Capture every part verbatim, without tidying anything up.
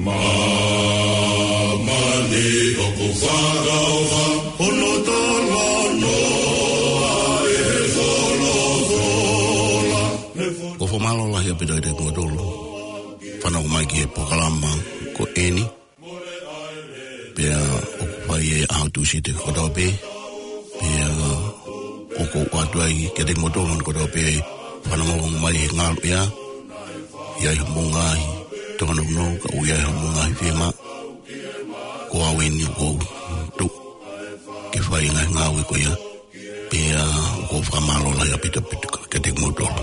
Māmani ʻoku fakaʻofa, hono talanoa ʻe he folofola. ʻOku ou fakamālō lahi ʻaupito kiate kimoutolu fanongo mai ki he polokalama ko eni. Pea ʻoku fai ʻi he ʻaho Tūsite kotoa pē. Pea ʻoku ou ʻoatu ai kiate kimoutolu kotoa pē fanongo mai he ngaluʻea. ʻI ai hamou ngaahi tōnounou, ka ʻoku ʻi ai hamou ngaahi fiemaʻu. Ko au eni ʻoku ou tuʻu ke fai e ngaahi ngāue ko ia. Pea ʻoku ou fakamālō lahi ʻaupito kiate kimoutolu.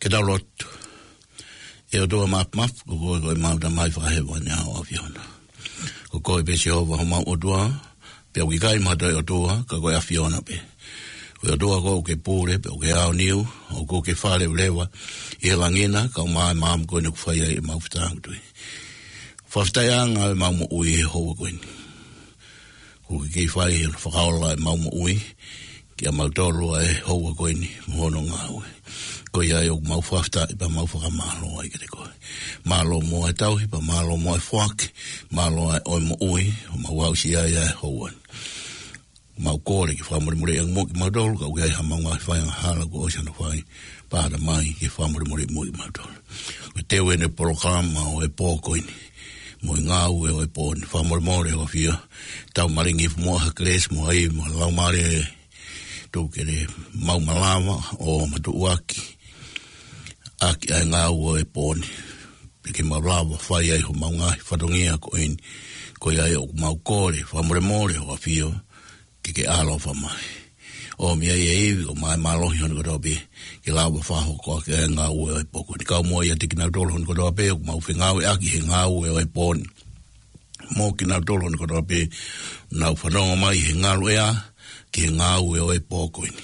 Ke tau lotu. ʻE ʻOtua Māfimafi, ko koe ko ʻemau Tamai fakahēvani ʻa ʻAfiona. Ko koe pē Sihova homau ʻOtua, pea ʻoku ʻikai ha toe ʻOtua ka ko e ʻAfiona pē. Ko e ʻOtua koe ʻoku ke pule, pea ʻoku ke aoniu, ʻoku ke fāleuleva ʻi he langi na, kae ʻumaʻā e maama ko eni ʻoku fai ai ʻemau fetāngutuʻi. Fakafetaʻi ange ʻemau moʻui he houa ko eni. Kuo ke kei fai hono fakaola ʻemau moʻui, kiate kimautolu ʻa e houa ko eni mo hono ngāue. Ko ia ai ʻoku mau fakafetaʻi pea mau fakamālō ai kiate koe. Mālō muʻa e tauhi, pea mālō muʻa e foaki, mālō ʻa e moʻui, ʻoku mau aʻusia ai ʻa e houa ni. Mau kole ke fakamolemoleʻi ange muʻa kimautolu, ka ʻoku ʻi ai haʻamau ngaahi fai angahala kuo ʻosi hano fai, pea ʻatā mai ke fakamolemoleʻi muʻa kimautolu. Ko e teu eni e polokalama ʻo e pō ko eni. Mo e ngāue ʻo e pō ni, fakamolemole ʻo ʻAfio. Tau malingi muʻa ha kelesi mo e ivi mo e laumālie, tuku ke mau malava ʻo matuʻuaki ʻaki ʻa e ngāue ʻo e pō ni. Pea ke mau lava fai ai homau ngaahi fatongia ko eni. Ko ia ai ʻoku mau kole, fakamolemole ʻo ʻAfio, ke ke ʻaloʻofa mai. ʻOmi ai e ivi ʻo mai mālohi hono kotoa pē, ke lava fakahoko ʻaki ʻa e ngāue ʻo e pō ko eni. Kau muʻa ʻiate kinautolu hono kotoa pē ʻoku mau fengāueʻaki he ngāue ʻo e pō ni. Mo kinautolu hono kotoa pē ʻoku nau fanongo mai he ngaluʻea ki he ngāue ʻo e pō ko eni.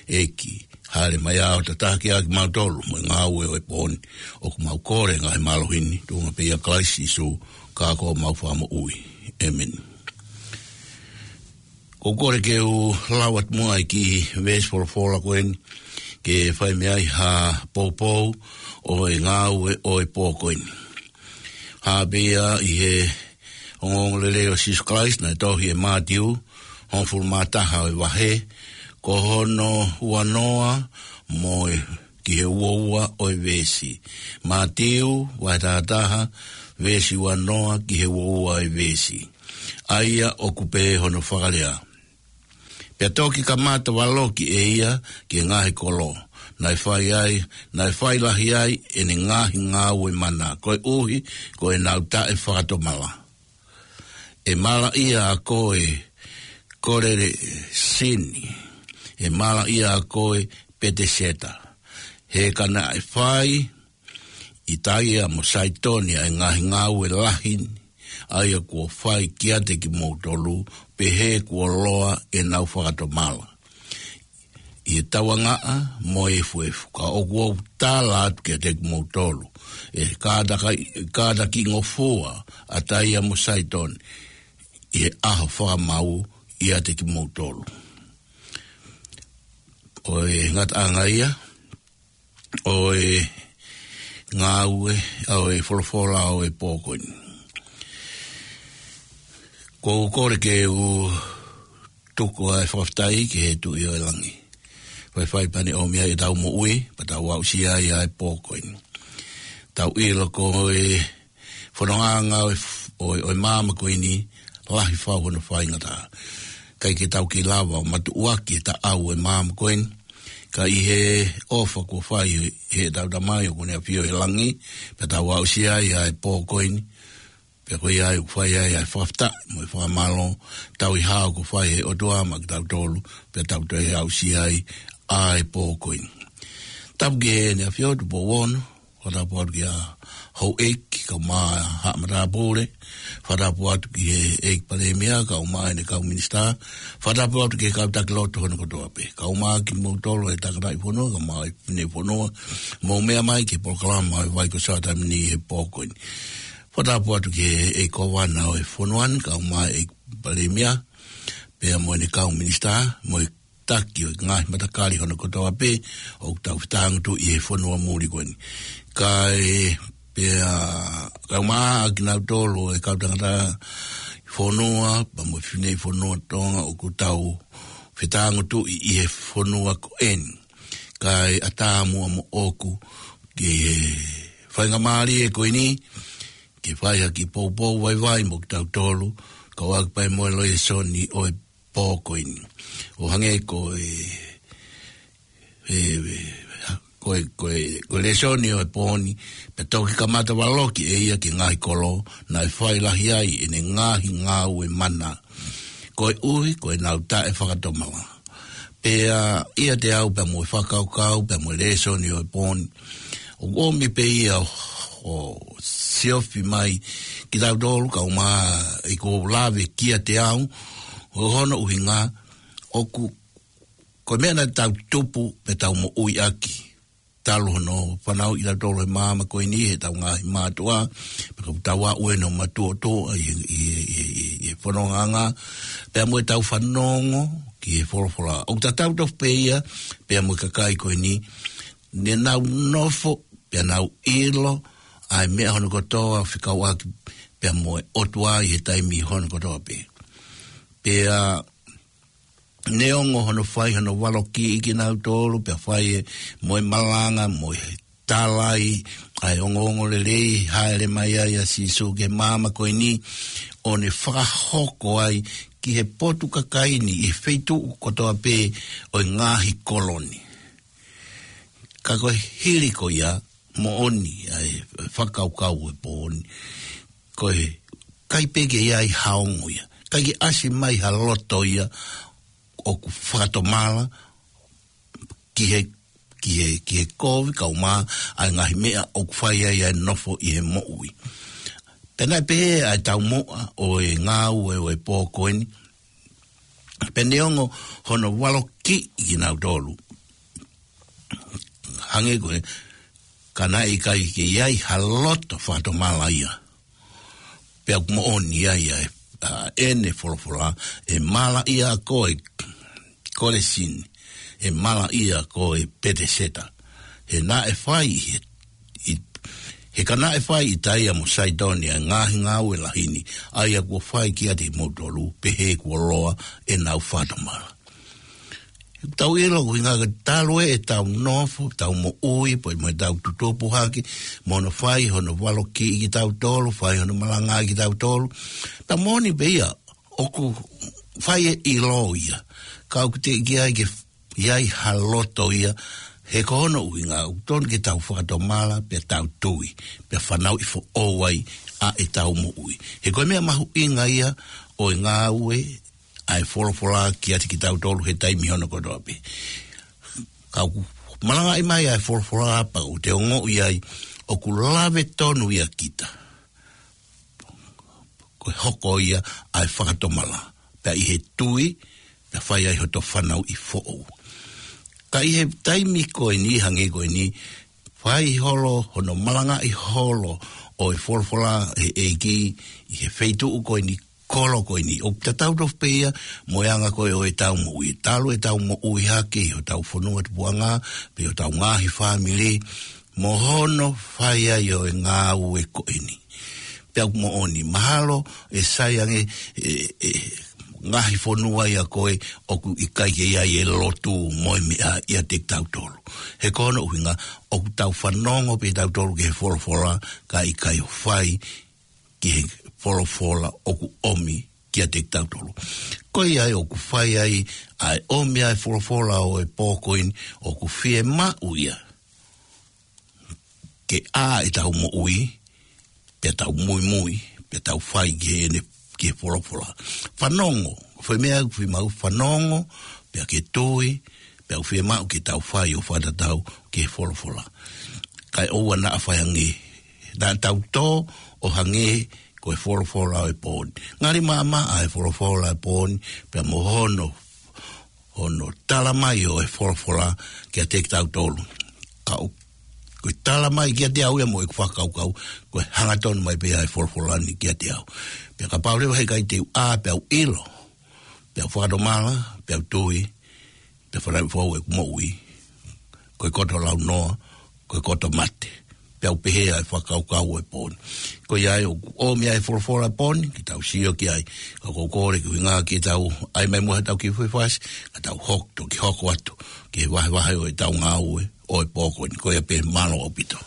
ʻEiki, hāʻele mai ʻo tataki ʻaki kimautolu mo e ngāue ʻo e pō ni. ʻOku mau kole ngaahi mālohi ni, tuʻunga pē ʻia Kalaisi Sīsū, ka ko homau Fakamoʻui. ʻĒmeni. ʻOku ou kole ke u lau atu muʻa e kiʻi veesi folofola ko eni, ke fai mei ai ha poupou ʻo e ngāue ʻo e pō ko eni. Hā pē ia ʻi he ongoongolelei ʻo Sīsū Kalaisi naʻe tohi ʻe Mātiu, hongofulu mā taha ʻo e vahe, ko hono uanoa mo e ki he uaua ʻo e veesi. Mātiu, vahe taha taha, veesi uanoa ki he uaua ʻo e veesi. ʻA ia ʻoku pehē hono fakalea: Pea toki kamata valoki ʻe ia ki he ngaahi kolo, naʻe fai ai, naʻe fai lahi ai ʻene ngaahi ngāue mana, koeʻuhi ko ʻenau taʻefakatomala. ʻE malaʻia ʻa koe Kolelasini, ʻe malaʻia ʻa koe Peteseta, he ka naʻe fai ʻi Taia mo Saitoni ʻa e ngaahi ngāue lahi ni, ʻa ia kuo fai kiate kimoutolu, pehē kuo loa ʻenau fakatomala ʻi he tauangaʻa mo e efuefu. Ka ʻoku ou tala atu kiate kimoutolu, ʻe kātaki, kātakingofua ʻa Taia mo Saitoni ʻi he ʻaho fakamau ʻiate kimoutolu. Ko e ngataʻanga ia ʻo e ngāue, ʻo e folofola ʻo e pō ko eni. ʻOku ou kole ke u tuku ʻa e fakafetaʻi ki he Tuʻi ʻo e langi. Faifai pea ne ʻomi ai ʻetau moʻui, pea tau aʻusia ai ʻa e pō ko eni. Tau ʻilo ko e fonongaʻanga ʻo e f-, ʻo e, ʻo e maama ko eni, lahi fau hono faingataʻa. ʻIkai ke tau kei lava ʻo matuʻuaki e taʻau ʻo e maama ko eni, ka ʻi he ʻofa kuo fai ʻe heʻetau Tamai ʻoku ne ʻafio ʻi he langi, pea tau aʻusia ai ʻa e pō ko eni, pea ko ia ai ʻoku fai ai ʻa e fakafetaʻi mo e fakamālō, tauhi hao kuo fai ʻe he ʻOtua maʻa kitautolu, pea tau toe aʻusia ai ʻa e pō ko eni. Tapu ki heʻene ʻAfio Tupou Ono, fakatapu atu kia Houʻeiki, kae ʻumaʻā Haʻa Matāpule, fakatapu atu ki he ʻEiki Palēmia, kae ʻumaʻā ʻene kau minisitā, fakatapu atu ki he kau taki lotu hono kotoa pē, kae ʻumaʻā kimoutolu ʻa e tangataʻi fonua, kae ʻumaʻā e fineʻeiki fonua, mou meʻa mai ki he polokalama ʻo e Vai ko Sātamini he pō ko eni. Fakatapu atu ki he ʻEiki Kōvana ʻo e fonua ni, kae ʻumaʻā e ʻEiki Palēmia, pea mo ʻene kau minisitā, mo e taki ʻo e ngaahi matakali hono kotoa pē ʻoku tau fetāngutuʻi he fonua muli ko eni. Kae pea, kae ʻumaʻā kinautolu e kau tangataʻi fonua, pea mo e fineʻeiki fonua Tonga ʻoku tau fetāngutuʻi ʻi he fonua ko eni. Kae ʻatā muʻa moʻoku ki he faingamālie ko eni, ke fai ha kiʻi poupou vaivai mo kitautolu, kau ʻaki pē mo e lēsoni ʻo e pō ko eni. ʻO hangē ko e, e, e, ko e, ko e, ko e lēsoni ʻo e pō ni, pea toki kamata valoki ʻe ia ki he ngaahi kolo, naʻe fai lahi ai ʻene ngaahi ngāue mana, koeʻuhi ko ʻenau taʻefakatomala. Pea ʻiate au pea mo e fakakaukau, pea mo e lēsoni ʻo e pō ni, ʻoku ʻomi pē ia ʻo, ʻo siofi mai kitautolu kae ʻumaʻā ʻeku lave kiate au, ʻo hono ʻuhinga, ʻoku, ko e meʻa naʻa tau tupu pea tau moʻui ʻaki. Talu hono fanauʻi kitautolu he māmani ko eni ʻe heʻetau ngaahi mātuʻa, pea kuo tau aʻu eni ʻo matuʻotuʻa ʻi he, ʻi he, ʻi he, ʻi he, ʻi he fonongaʻanga, pea mo ʻetau fanongo ki he folofola. ʻOku tatau tofu pē ia, pea mo e kakai ko eni, ne nau nofo, pea nau ʻilo, ʻa e meʻa hono kotoa fekauʻaki, pea mo e ʻOtua ʻi he taimi hono kotoa pē. Pea neongo hono fai hono valokiʻi kinautolu, pea fai e mo e malanga, mo e tala ʻa e ongoongolelei, hāʻele mai ai ʻa Sīsū ki he māmani ko eni, ʻo ne fakahoko ai ki he potu kakai ni, ʻi he feituʻu kotoa pē ʻo e ngaahi kolo ni. Ka ko e hili ko ia, moʻoni ʻa e fakakaukau ʻo e pō ni. Ko e ʻikai pē ke ʻi ai ha ongo ia. ʻIkai ke ʻasi mai ha loto ia ʻoku fakatomala ki he, ki he, ki he kovi kae ʻumaʻā ʻa e ngaahi meʻa ʻoku fai ai ʻa e nofo ʻi he moʻui. Pea naʻe pehē ʻa e taumuʻa ʻo e ngāue ʻo e pō ko eni. Pea neongo hono valokiʻi kinautolu. Hangē ko e, ka naʻe ʻikai ke ʻi ai ha loto fakatomala ia. Pea ʻoku moʻoni ai ʻa e, ʻa ʻene folofola, ʻe malaʻia koe Kolesini, ʻe malaʻia koe Peteseta. He naʻe fai ʻe, ʻi, he ka naʻe fai ʻi Taia mo Saitoni ʻa e ngaahi ngāue lahi ni, ʻa ia kuo fai kiate kimoutolu, pehē kuo loa ʻenau fakatomala. Tau ʻilo ʻoku ʻuhinga ke talu ʻetau nofo, tau moʻui, pea mo ʻetau tutupu hake, mo hono fai hono valokiʻi kitautolu, fai hono malangaʻi kitautolu. Pea moʻoni pē ia, ʻoku fai e ʻilo ia. Ka ʻoku teʻeki ai ke ʻi ai ha loto ia, he ko hono ʻuhinga, ʻoku tonu ke tau fakatomala, pea tau tui, pea fanauʻi foʻou ai ʻa ʻetau moʻui. He ko e meʻa mahuʻinga ia ʻo e ngāue ʻa e folofola kiate kitautolu he taimi hono kotoa pē. Ka ʻoku malangaʻi mai ʻa e folofola pea ʻoku te ongoʻi ai ʻoku lave tonu ia kita. Ko e hoko ia ʻa e fakatomala. Pea ʻi he tui, pea fai ai hoto fanauʻi foʻou. Ka ʻi he taimi ko eni, hangē ko eni, fai holo, hono malangaʻi holo ʻo e folofola ʻa e ʻEiki ʻi he feituʻu ko eni, kolo ko eni. ʻOku tatau tofu pē ia mo e anga ko ē ʻo ʻetau moʻui. Talu ʻetau moʻui hake ʻi hotau fonua tupuʻanga, pe ʻi hotau ngaahi fāmili, mo hono fai ai ʻo e ngāue ko eni. Pea ʻoku moʻoni, mahalo ʻe sai ange ʻe, ʻe, ngaahi fonua ia ko ē ʻoku ʻikai ke ʻi ai e lotu mo e meʻa ʻiate kitautolu. He ko hono ʻuhinga, ʻoku tau fanongo pē kitautolu ki he folofola, ka ʻikai ʻo fai ki he folofola ʻoku ʻomi kiate kitautolu. Ko ia ai ʻoku fai ai ʻa e ʻomi ʻa e folofola ʻo e pō ko eni, ʻoku fiemaʻu ia ke ʻā ʻetau moʻui, pea tau muimui, pea tau fai ki heʻene, ki he folofola. Fanongo, ko e foʻi meʻa ʻoku fiemaʻu, fanongo, pea ke tui, pea ʻoku fiemaʻu ke tau fai ʻo fakatatau ki he folofola. Kae ʻoua naʻa fai ange, naʻa tau tō ʻo hangē ko e folofola ʻo e pō ni. Ngali maʻamaʻa e folofola ʻo e pō ni, pea mo hono, hono tala mai ʻo e folofola kiate kitautolu. Ka ʻoku, ko e tala mai kiate au ia mo ʻeku fakakaukau, ko e hangatonu mai pē ʻa e folofola ni kiate au. Pea kapau leva he ʻikai te u ʻā, pea u ʻilo, pea u fakatomala, pea u tui, pea fanauʻi foʻou ʻeku moʻui, ko e koto launoa, ko e koto mate. Pea u pehē ʻa e fakakaukau ʻo e pō ni. Ko ia ai ʻoku ʻomi ʻa e folofola ʻo e pō ni, ke tau sio ki ai. Ka ʻoku ou kole ke ʻuhinga ke tau ʻai mai muʻa ʻetau kiʻi foʻi fasi, ka tau hoko, toki hoko atu ki he vahevahe ʻo ʻetau ngāue ʻo e pō ko eni. Ko ia pē, mālō ʻaupito.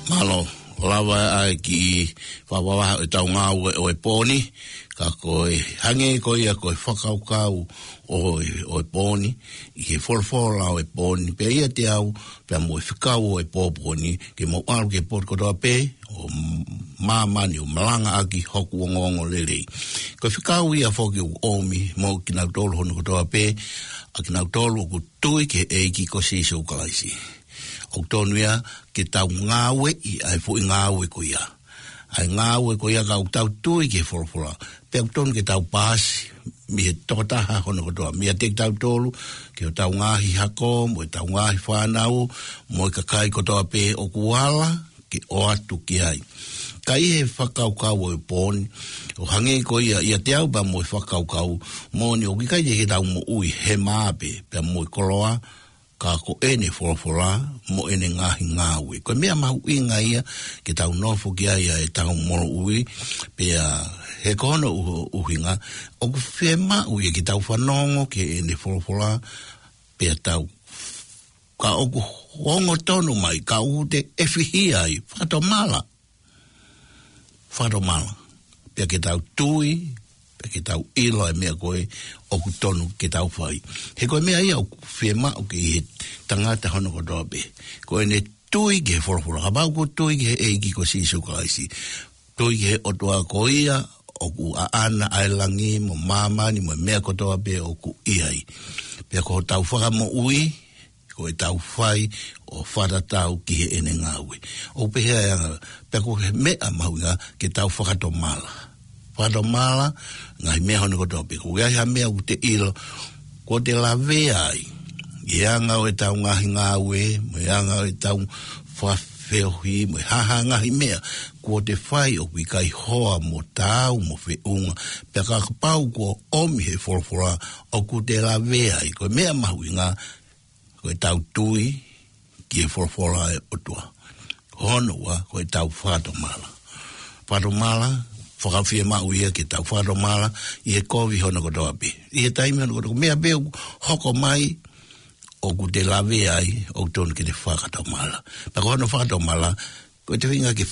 Mālō, ʻo lava ʻa e kiʻi fakavavaha ʻo e tau ngāue ʻo e pō ni, ka ko e hangē ko ia ko e fakakaukau ʻo e, ʻo e pō ni, ʻi he folofola ʻo e pō ni, pea ʻiate au, pea mo e fekau ʻo e pō pō ni, ke mou ʻalu ki he potu kotoa pē ʻo māmani ʻo malangaʻaki hoku ongoongolelei. Ko e fekau ia foki ʻoku ʻomi mo kinautolu hono kotoa pē, ʻa kinautolu ʻoku tui ki he ʻEiki ko Sīsū Kalaisi. ʻOku tonu ia ke tau ngāueʻi ʻa e foʻi ngāue ko ia. ʻA e ngāue ko ia ka ʻoku tau tui ki he folofola. Pea ʻoku tonu ke tau paasi, mei he tokotaha hono kotoa. Meiate kitautolu, ki hotau ngaahi hako, mo ʻetau ngaahi fānau, mo e kakai kotoa pē ʻoku ala, ke ʻoatu ki ai. Ka ʻi he fakakaukau ʻo e pō ni, ʻo hangē ko ia, ʻiate au pea mo e fakakaukau, moʻoni ʻoku ʻikai te ke tau moʻui he mā pē, pea mo e koloa, ka ko ʻene folofola, mo ʻene ngaahi ngāue. Ko e meʻa mahuʻinga ia, ke tau nofo ki ai ʻa e tau moʻui, pea he ko hono ʻu-, ʻuhinga, ʻoku fiemaʻu ia ke tau fanongo ki heʻene folofola, pea tau. Ka ʻoku ongo tonu mai, ka ʻoku te ʻefihia ai, fakatomala. Fakatomala. Pea ke tau tui, pea ke tau ʻilo ʻa e meʻa ko ē ʻoku tonu ke tau fai. He ko e meʻa ia ʻoku fiemaʻu ke ʻi he tangata hono kotoa pē. Ko ʻene tui ki he folofola. Kapau ʻoku tui ki he ʻEiki ko Sīsū Kalaisi. Tui ki he ʻOtua ko ia, ʻoku ʻaʻana ʻa e langi mo māmani mo e meʻa kotoa pē ʻoku ʻi ai. Pea ko hotau fakamoʻui, ko ʻetau fai ʻo fakatatau ki heʻene ngāue. ʻOku pehē ʻa e anga, pea ko e meʻa mahuʻinga ke tau fakatomala. Fakatomala, ngaahi meʻa hono kotoa pē. Ko e ngaahi meʻa ʻoku te ʻilo, kuo te lavea ai. ʻI he anga ʻo ʻetau ngaahi ngāue, mo e anga ʻo ʻetau fakafeohi, mo e hā ha ngaahi meʻa, kuo te fai ʻoku ʻikai hoa mo taau mo feʻunga. Pea kapau kuo ʻomi he folofola, ʻoku te lavea ai. Ko e meʻa mahuʻinga, ko ʻetau tui ki he folofola ʻa e ʻOtua. Hono ua, ko ʻetau fakatomala. Fakatomala, fakafiemaʻu ia ke tau fakatomala, ʻi he kovi hono kotoa pē. ʻI he taimi hono kotoa, meʻa pē ʻoku hoko mai, ʻoku te lavea ai, ʻoku tonu ke te fakatomala. Pea ko hono fakatomala, ko e te feinga ke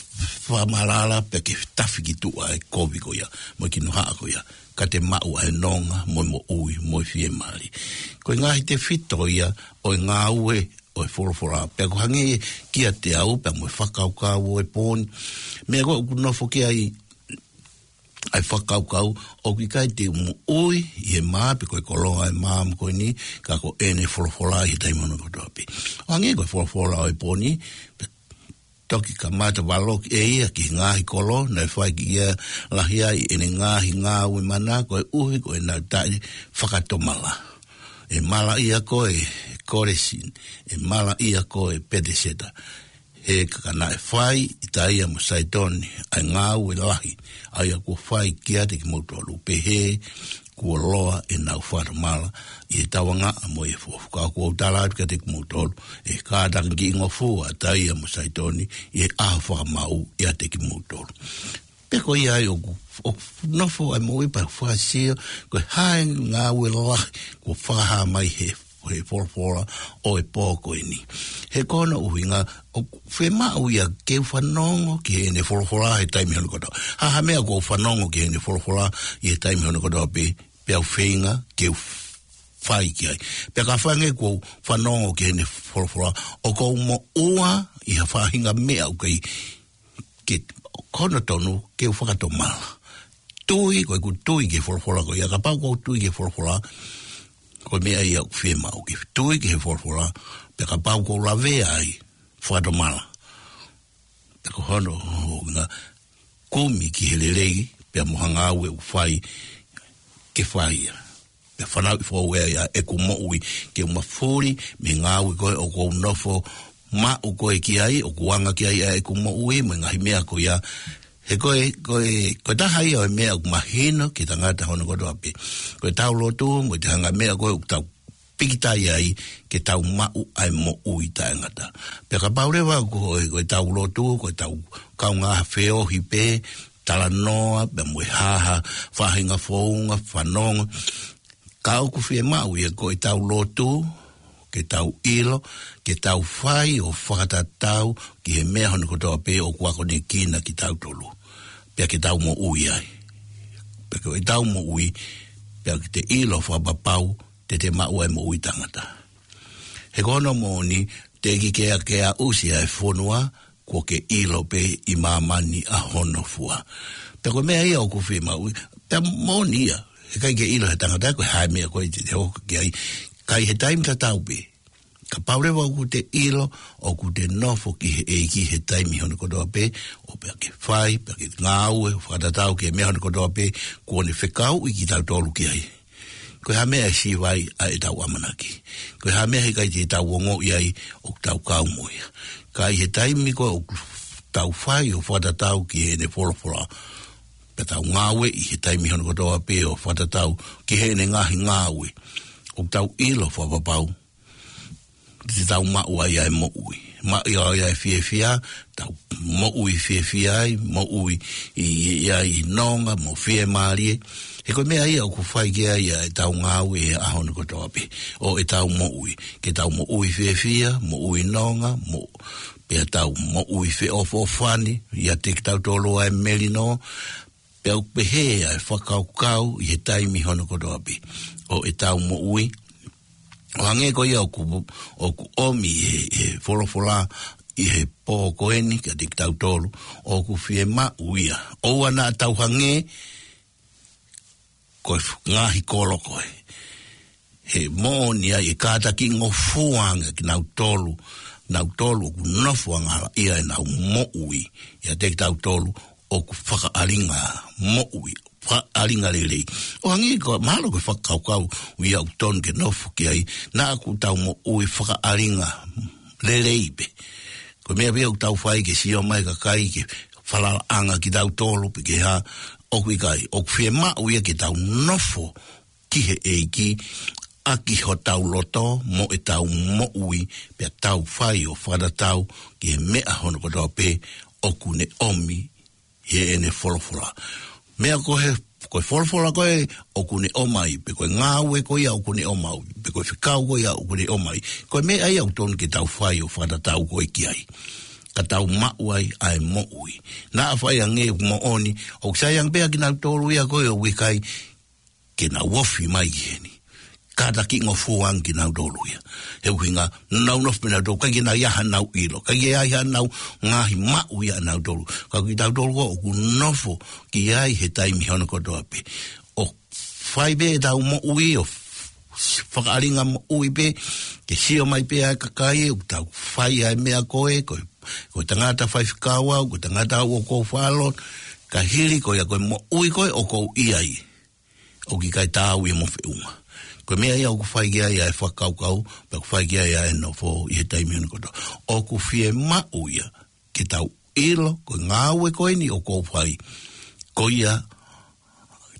fakamalala pea ke tafi ki tuʻa ʻa e kovi ko ia, mo e kinohaʻa ko ia, ka te maʻu ʻa e nonga, mo e moʻui, mo e fiemālie. Ko e ngaahi tefito ia, ʻo e ngāue, ʻo e folofola, pea ko e hangē kiate au, pea mo e fakakaukau ʻo e pō ni. Meʻa ko ē ʻoku nofo ki ai, ʻa e fakakaukau, ʻoku ʻikai te u moʻui, ʻi he mā, pe ko e koloa ʻa e mā mo ko eni, ka ko ʻene folofola ʻi he taimi hono kotoa pē. ʻO hangē ko e folofola ʻo e pō ni, pea toki kamata valoki ʻe ia ki he ngaahi kolo, naʻe fai ki ia lahi ai ʻene ngaahi ngāue mana, koeʻuhi ko ʻenau taʻefakatomala. ʻE malaʻia koe Kolasini, ʻe malaʻia koe Petiseta. He ka naʻe fai ʻi Taia mo Saitoni ʻa e ngāue lahi, ʻa ia kuo fai kiate kimoutolu, pehē kuo loa ʻenau fakatomala ʻi he tauangaʻa mo e fuofua. Ka ʻoku ou tala atu kiate kimoutolu, ʻe kātaki kiʻi ngofua ʻa Taia mo Saitoni ʻi he ʻaho fakamaau ʻiate kimoutolu. Pea ko ia ai ʻoku, ʻoku nofo ai moʻui pea fakasio, ko e hā e ngāue lahi kuo fakahā mai he ʻo e folofola ʻo e pō ko eni. He ko hono ʻuhinga ʻoku fiemaʻu ia ke u fanongo ki heʻene folofola he taimi hono kotoa. Ha ha meʻa ʻoku ou fanongo ki heʻene folofola ʻi he taimi hono kotoa pē, pea u feinga ke u fai ki ai. Pea kapau ange ʻoku ou fanongo ki heʻene folofola, ʻoku ou moʻua ʻi ha faʻahinga meʻa ʻoku kei ke, ko hono tonu ke u fakatomala. Tui, ko ʻeku tui ki he folofola ko ia, kapau ʻoku ou tui ki he folofola, ko e meʻa ia ʻoku fiemaʻu ke tui ki he folofola, pea kapau ʻoku ou lavea ai, fakatomala. Pea ko hono ʻuhinga kumi ki he lelei, pea mo ha ngāue ʻoku fai ke fai ia. Pea fanauʻi foʻou ia ʻeku moʻui ke u mafuli mei he ngāue ko ē ʻoku ou nofo maʻu ko ē ki ai, ʻoku anga ki ai ʻeku moʻui, mo e ngaahi meʻa ko ia. He ko e, ko e, ko e taha ia ʻo e meʻa ʻoku mahino ki he tangata hono kotoa pē. Ko ʻetau lotu, mo e ngaahi meʻa ko ē ʻoku tau pikitai ai ke tau maʻu ʻa e moʻui taʻengata. Pea kapau leva ko e, ko ʻetau lotu, ko ʻetau kaungā feohi pē, talanoa, pea mo e haha, faʻahinga founga, fanongo. Ka ʻoku fiemaʻu ia ko ʻetau lotu, ke tau ʻilo, ke tau fai ʻo fakatatau ki he meʻa hono kotoa pē ʻoku akonekina kitautolu. Pea ke tau moʻui ai. Pea ko ʻetau moʻui, pea ke te ʻilo fakapapau, te te maʻu ʻa e moʻui taʻengata. He ko hono moʻoni, teʻeki ke ke aʻusia e fonua, kuo ke ʻilo pē ʻi māmani ʻa hono fua. Pea ko e meʻa ia ʻoku fiemaʻu, pea moʻoni ia, heʻikai ke ʻilo he tangata ko e hā e meʻa ko ē te te hoko ki ai, ka ʻi he taimi tatau pē. Kapau leva ʻoku te ʻilo, ʻoku te nofo ki he ʻEiki he taimi hono kotoa pē, ʻo pea ke fai, pea ke ngāue, ʻo fakatatau ki he meʻa hono kotoa pē, kuo ne fekauʻi kitautolu ki ai. Ko e hā e meʻa ʻe siva ai ʻa ʻetau ʻamanaki. Ko e hā e meʻa heʻikai te tau ongoʻi ai ʻoku tau kau mo ia. Ka ʻi he taimi ko ē ʻoku tau fai ʻo fakatatau ki heʻene folofola. Pea tau ngāue ʻi he taimi hono kotoa pē ʻo fakatatau ki heʻene ngaahi ngāue. ʻOku tau ʻilo fakapapau. Te tau maʻu ai ʻa e moʻui. Maʻu ai ʻa e fiefia, tau moʻui fiefia ai, moʻui ʻi, ʻi, ʻi ai nonga, mo fiemālie. He ko e meʻa ia ʻoku fai ki ai ʻa ʻetau ngāue he ʻaho ni kotoa pē. ʻO ʻetau moʻui. Ke tau moʻui fiefia, moʻui nonga, mo, pea tau moʻui feʻofoʻofani, ʻiate kitautolu ʻa e melino, pea ʻoku pehē ʻa e fakakaukau ʻi he taimi hono kotoa pē. ʻO ʻetau moʻui, ʻo hangē ko ia ʻoku, ʻoku ʻomi he, he folofola ʻi he pō ko eni kiate kitautolu, ʻoku fiemaʻu ia. ʻOua naʻa tau hangē ko e f-, ngaahi kolo ko ē. He moʻoni ai ʻe kātakiʻi ngofua ange kinautolu, nautolu ʻoku nofo angahala ʻia ʻenau moʻui, ʻiate kitautolu ʻoku fakaʻalinga moʻui, fakaʻalinga lelei. ʻO hangē ko, mahalo ko e fakakaukau ia ʻoku tonu ke nofo ki ai, naʻa ʻoku tau moʻui fakaʻalinga lelei pē. Ko e meʻa pē ʻoku tau fai ke sio mai kakai ke falalaʻanga kitautolu, pe ke hā, ʻoku ʻikai, ʻoku fiemaʻu ia ke tau nofo ki he ʻEiki, ʻaki hotau loto, mo ʻetau moʻui, pea tau fai ʻo fakatatau ki he meʻa hono kotoa pē ʻoku ne ʻomi heʻene folofola. Meʻa ko ē, ko e folofola ko ē ʻoku ne ʻomai, pe ko e ngāue ko ia ʻoku ne ʻomai, pe ko e fekau ko ia ʻoku ne ʻomai. Ko e meʻa ia ʻoku tonu ke tau fai ʻo fakatatau ko ē ki ai. Ka tau maʻu ai ʻa e moʻui. Naʻa faʻa hangē ʻoku moʻoni, ʻoku sai ange pē ʻa kinautolu ia ko ē ʻoku ʻikai ke nau ofi mai ki heni. Kātakiʻi ngofua ange kinautolu ia. He ʻuhinga, nau nofo pē nautolu, ʻikai ke nau ʻi ai haʻanau ʻilo, ʻikai ke ʻi ai haʻanau ngaahi maʻu ia ʻanautolu. Ka kitautolu ko ē ʻoku nofo ki ai he taimi hono kotoa pē. ʻO fai pē ʻetau moʻui, ʻo f-, fakaʻalinga moʻui pē, ke sio mai pē ʻa e kakai, ʻoku tau fai ʻa e meʻa ko ē, ko e, ko e tangata faifekau au, ko e tangata au ʻoku ou faʻa lotu, ka hili ko ia ko e moʻui ko ē ʻoku ou ʻi ai. ʻOku ʻikai taau ia mo feʻunga. Ko e meʻa ia ʻoku fai ki ai ʻa e fakakaukau, pea ʻoku fai ki ai ʻa e nofo ʻi he taimi hono kotoa. ʻOku fiemaʻu ia, ke tau ʻilo, ko e ngāue ko eni ʻoku ou fai. Ko ia,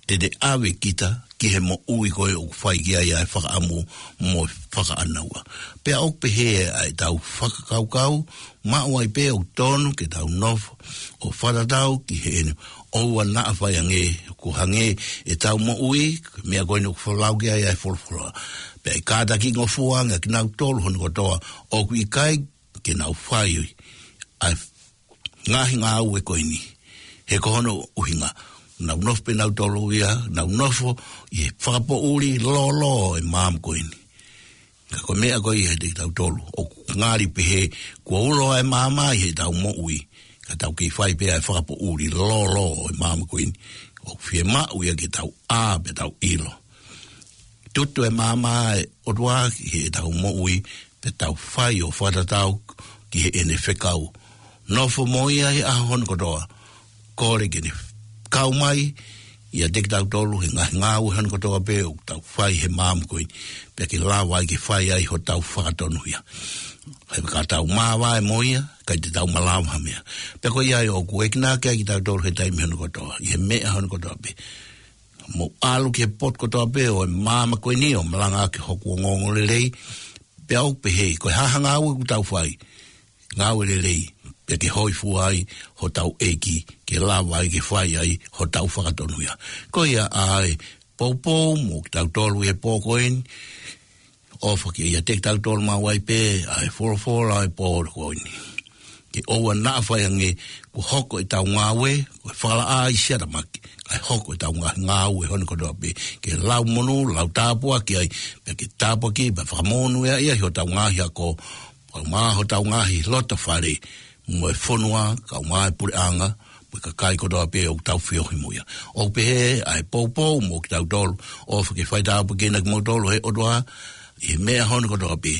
te te ʻave kita ki he moʻui ko ē ʻoku fai ki ai ʻa e fakaʻamu mo e fakaʻānaua. Pea ʻoku pehē ʻa ʻetau fakakaukau, maʻu ai pē ʻoku tonu ke tau nofo ʻo fakatatau ki heʻene ʻoua naʻa fai ange, ʻoku hangē ʻetau moʻui, meʻa ko eni ʻoku folau ki ai ʻa e folofola. Pea ʻe kātakingofua ange ʻa kinautolu hono kotoa ʻoku ʻikai ke nau fai ʻa e ngaahi ngāue ko eni. He ko hono ʻuhinga, nau nofo pē nautolu ia, nau nofo ʻi he fakapoʻuli lōlō ʻo e maama ko eni. Ka ko e meʻa ko ia ʻiate kitautolu, ʻoku ngali pehē kuo ulo ʻa e maama ʻi heʻetau moʻui, ka tau kei fai pē ʻa e fakapoʻuli lōlō ʻo e maama ko eni. ʻOku fiemaʻu ia ke tau ʻā pea tau ʻilo. Tutu e maama ʻa e ʻOtua ʻi heʻetau moʻui, pea tau fai ʻo fakatatau ki heʻene fekau. Nofo mo ia he ʻaho hono kotoa. Kole ke ne kau mai ʻiate kitautolu he ngaahi ngāue hono kotoa pē ʻoku tau fai he maama ko eni. Pea ke lava ai ke fai ai hotau fakatonuhia. He ka tau māvae mo ia, ʻikai te tau malava ha meʻa. Pea ko ia ai ʻoku ekinaki ai kitautolu he taimi hono kotoa, ʻi he meʻa hono kotoa pē. Mou ʻalu ki he potu kotoa pē ʻo e maama ko eni ʻo malanga ʻaki hoku ongoongolelei. Pea ʻoku pehē, ko e hā ha ngāue ʻoku tau fai, ngāue lelei, pea ke hōifua ai hotau ʻEiki, ke lava ai ke fai ai hotau fakatonuhia. Ko ia ai, poupou mo kitautolu he pō ko eni, ʻofa ke ʻiate kitautolu maʻu ai pē ʻa e folofola ʻo e pō ko eni. Ke ʻoua naʻa fai ange kuo hoko ʻetau ngāue ko e fakalaʻā ʻi Siatamaki, kae hoko ʻetau ngā-, ngāue hono kotoa pē ke lau monū, lau tāpuaki ai, pea ke tāpuaki, pea fakamonūʻia ai hotau ngaahi ako, pea mo hotau ngaahi loto fale, mo e fonua, kae ʻumaʻā e puleʻanga, mo e kakai kotoa pē ʻoku tau feohi mo ia. ʻOku pehē ʻa e poupou mo kitautolu, ʻofa ke fai tāpuekina kimoutolu he ʻOtua, ʻi he meʻa hono kotoa pē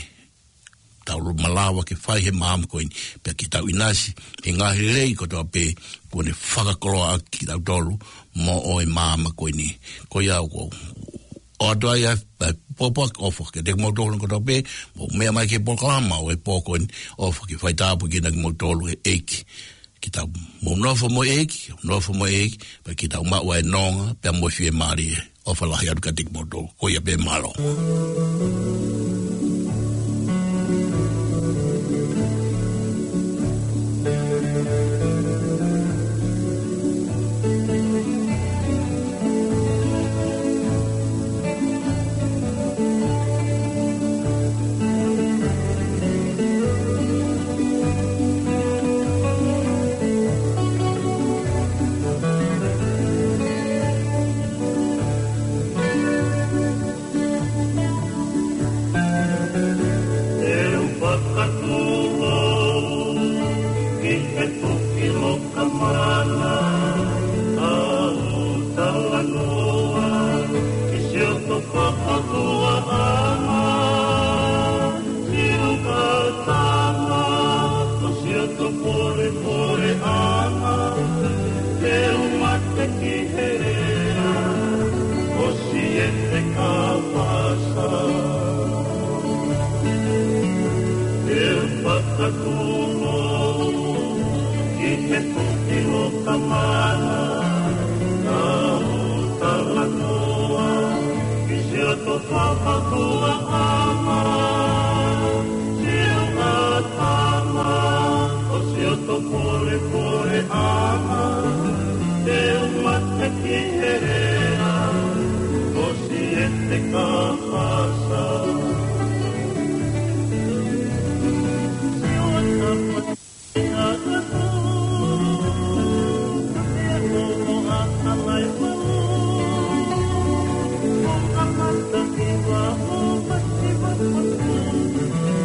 tau malava ke fai he maama ko eni, pea ke tau ʻinasi he ngaahi lelei kotoa pē kuo ne fakakoloa ʻaki kitautolu moʻo e maama ko eni. Ko ia ʻoku ou ʻoatu ai ʻa e, ʻa e poupou ʻofa kiate kimoutolu kotoa pē, mou meʻa mai ki he polokalama ʻo e pō ko eni, ʻofa ke fai tāpuekina kimoutolu he ʻEiki. Ke tau mou nofo mo e ʻEiki, nofo mo e ʻEiki, pea ke tau maʻu ʻa e nonga, pea mo e fiemālie. ʻOfa lahi atu kiate kimoutolu, ko ia pē, mālō. ʻE u fakatūʻulu ki he tuki loka mana, ʻa u talanoa ki siʻoto fakahuaʻanga, siʻoto tama, ko siʻoto polepoleʻanga, te u mate ki he lea ʻo Siete Kapasa. ʻE u fakatūʻulu ki he tuki loka mana, ʻa u talanoa ki siʻoto fakahuaʻanga, siʻoto tama, ko siʻoto polepoleʻanga, te u mate ki he lea ʻo Siete Kapasa.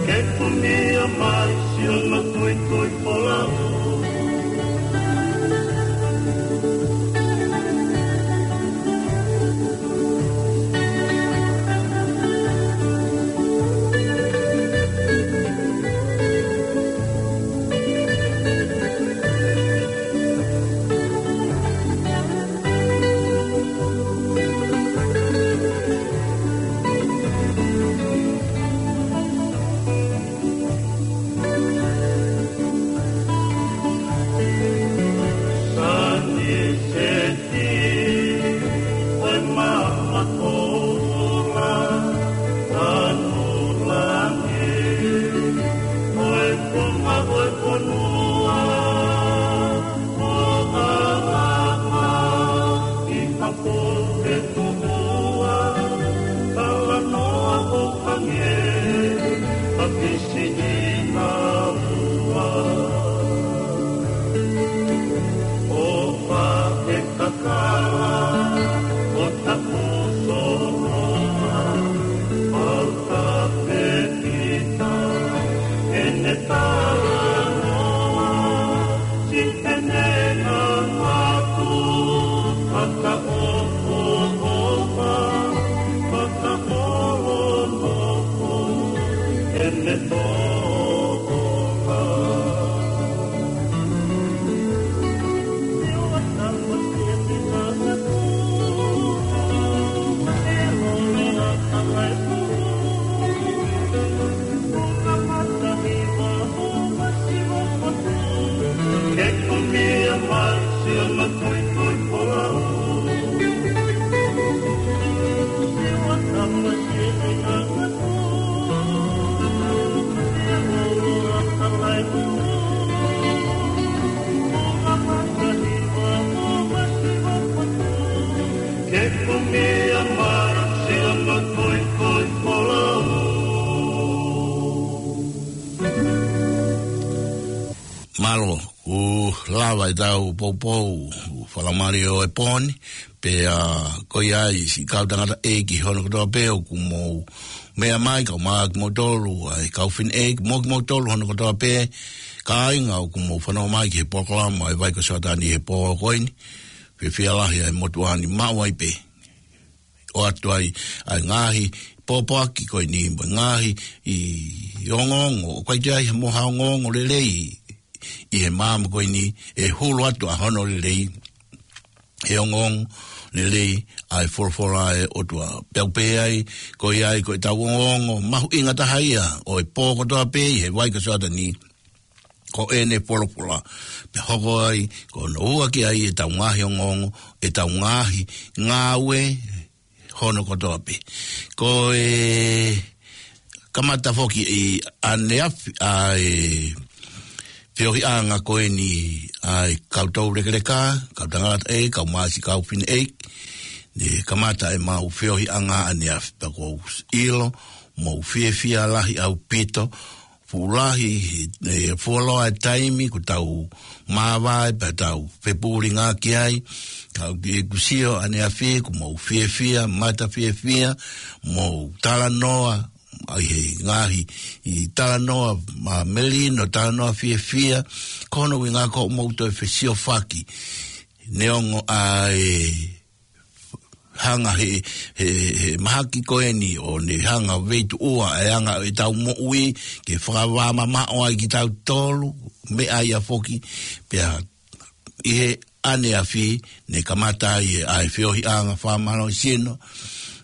Ke kumia mai siʻono tuitui folau. Mālō, ʻoku lava ʻetau poupou, ʻoku fakamālō ʻo e pō ni, pea ko ia ai siʻi kau tangataʻeiki ki hono kotoa pē ʻoku mou meʻa mai, kau mai kimoutolu, ʻa e kau fineʻeiki, mo kimoutolu hono kotoa pē, kāinga ʻoku mou fanongo mai ki he polokalama ʻa e Vai ko Sioatani he pō ko eni, fiefia lahi ʻa e motuʻa ni maʻu ai pē. ʻOatu ai ʻa e ngaahi pōpoaki ko eni mo e ngaahi ongoongo, ʻoku ʻikai ke ʻi ai ha mo ha ongoongo lelei ʻi he māmani ko eni ʻe hulu atu ʻa hono lelei, he ongoongo lelei ʻa e folofola ʻa e ʻOtua. Pea ʻoku pehē ai, ko ia ai ko ʻetau ongoongo mahuʻinga taha ia ʻo e pō kotoa pē ʻi he Vai ko Sioatani, ko ʻene folofola. Pea hoko ai, ko hono ua ki ai ʻetau ngaahi ongoongo, ʻetau ngaahi ngāue hono kotoa pē. Ko e kamata foki ʻi ʻaneafi ʻa e feohiʻanga ko eni ʻa e kau toulekeleka, kau tangataʻeiki, kau mai siʻi kau fineʻeiki, ne kamata ʻemau feohiʻanga ʻaneafi, pea ʻoku ou ʻilo, mou fiefia lahi ʻaupito, fuʻu lahi, ʻe, fuoloa e taimi kuo tau māvae pea tau fepūlinga ki ai, kau ki ʻeku sio ʻaneafi, ʻoku mou fiefia, mata fiefia, mou talanoa, ʻa e ngaahi, ʻi talanoa, ma melino, talanoa fiefia, ko hono ʻuhinga ko hoʻomou toe fesiofaki, neongo ʻa e hanga he, he, he mahaki ko eni ʻo ne hanga veituʻua ʻa e anga ʻetau moʻui ke fakavāmamaʻo ai kitautolu, meʻa ia foki, pea ʻi he ʻaneafi ne kamata ai ʻa e feohiʻanga fakamālohisino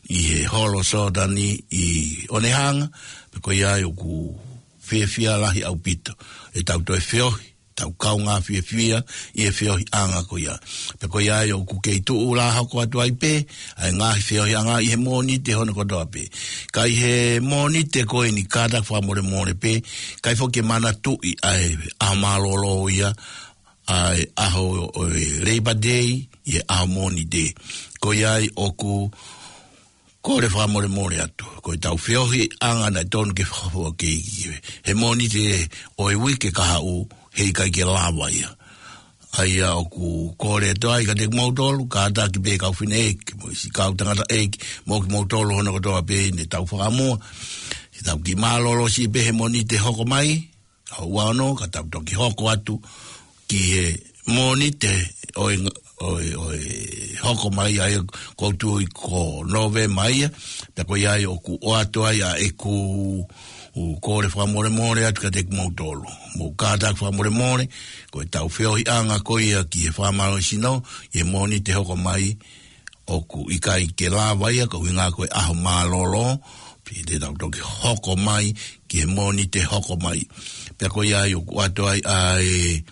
ʻi he holo Sioatani ʻi ʻOnehanga, pea ko ia ai ʻoku fiefia lahi ʻaupito ʻetau toe feohi, tau kaungā fiefia ʻi he feohiʻanga ko ia. Pea ko ia ai ʻoku kei tuʻu lā hoko atu ai pē ʻa e ngaahi feohiʻanga ʻi he Mōnite hono kotoa pē. Ka ʻi he Mōnite ko eni kātaki fakamolemole pē, ʻikai foki ke manatuʻi ʻa e ʻaho mālōlō ia, ʻa e ʻaho ʻo e Labor Day, ʻi he ʻaho Mōnite. Ko ia ai ʻoku kole fakamolemole atu. Ko ʻetau feohiʻanga naʻe tonu ke fakafua ke ʻi he Mōnite ʻo e uike kahaʻu heʻikai ke lava ia. ʻA ia ʻoku kole atu ai kiate kimoutolu, kātaki pē kau fineʻeiki, mo siʻi kau tangataʻeiki, mo kimoutolu hono kotoa pē ne tau fakamua. Tau kiʻi mālōlō siʻi pē he Mōnite hoko mai, ʻaho ua ono, ka tau toki hoko atu ki he Mōnite ʻo e, ʻo e, ʻo e hoko mai ai, ʻoku ou tui ko Nōvema ia, pea ko ia ai ʻoku ʻoatu ai ʻa ʻeku kole fakamolemole atu kiate kimoutolu. Mou kātaki fakamolemole, ko ʻetau feohiʻanga ko ia ki he fakamālohisino, ʻi he Mōnite hoko mai, ʻoku ʻikai ke lava ia, ko e ʻuhinga ko e ʻaho mālōlō, pea te tau toki hoko mai ki he Mōnite hoko mai. Pea ko ia ai ʻoku ʻoatu ai ʻa e,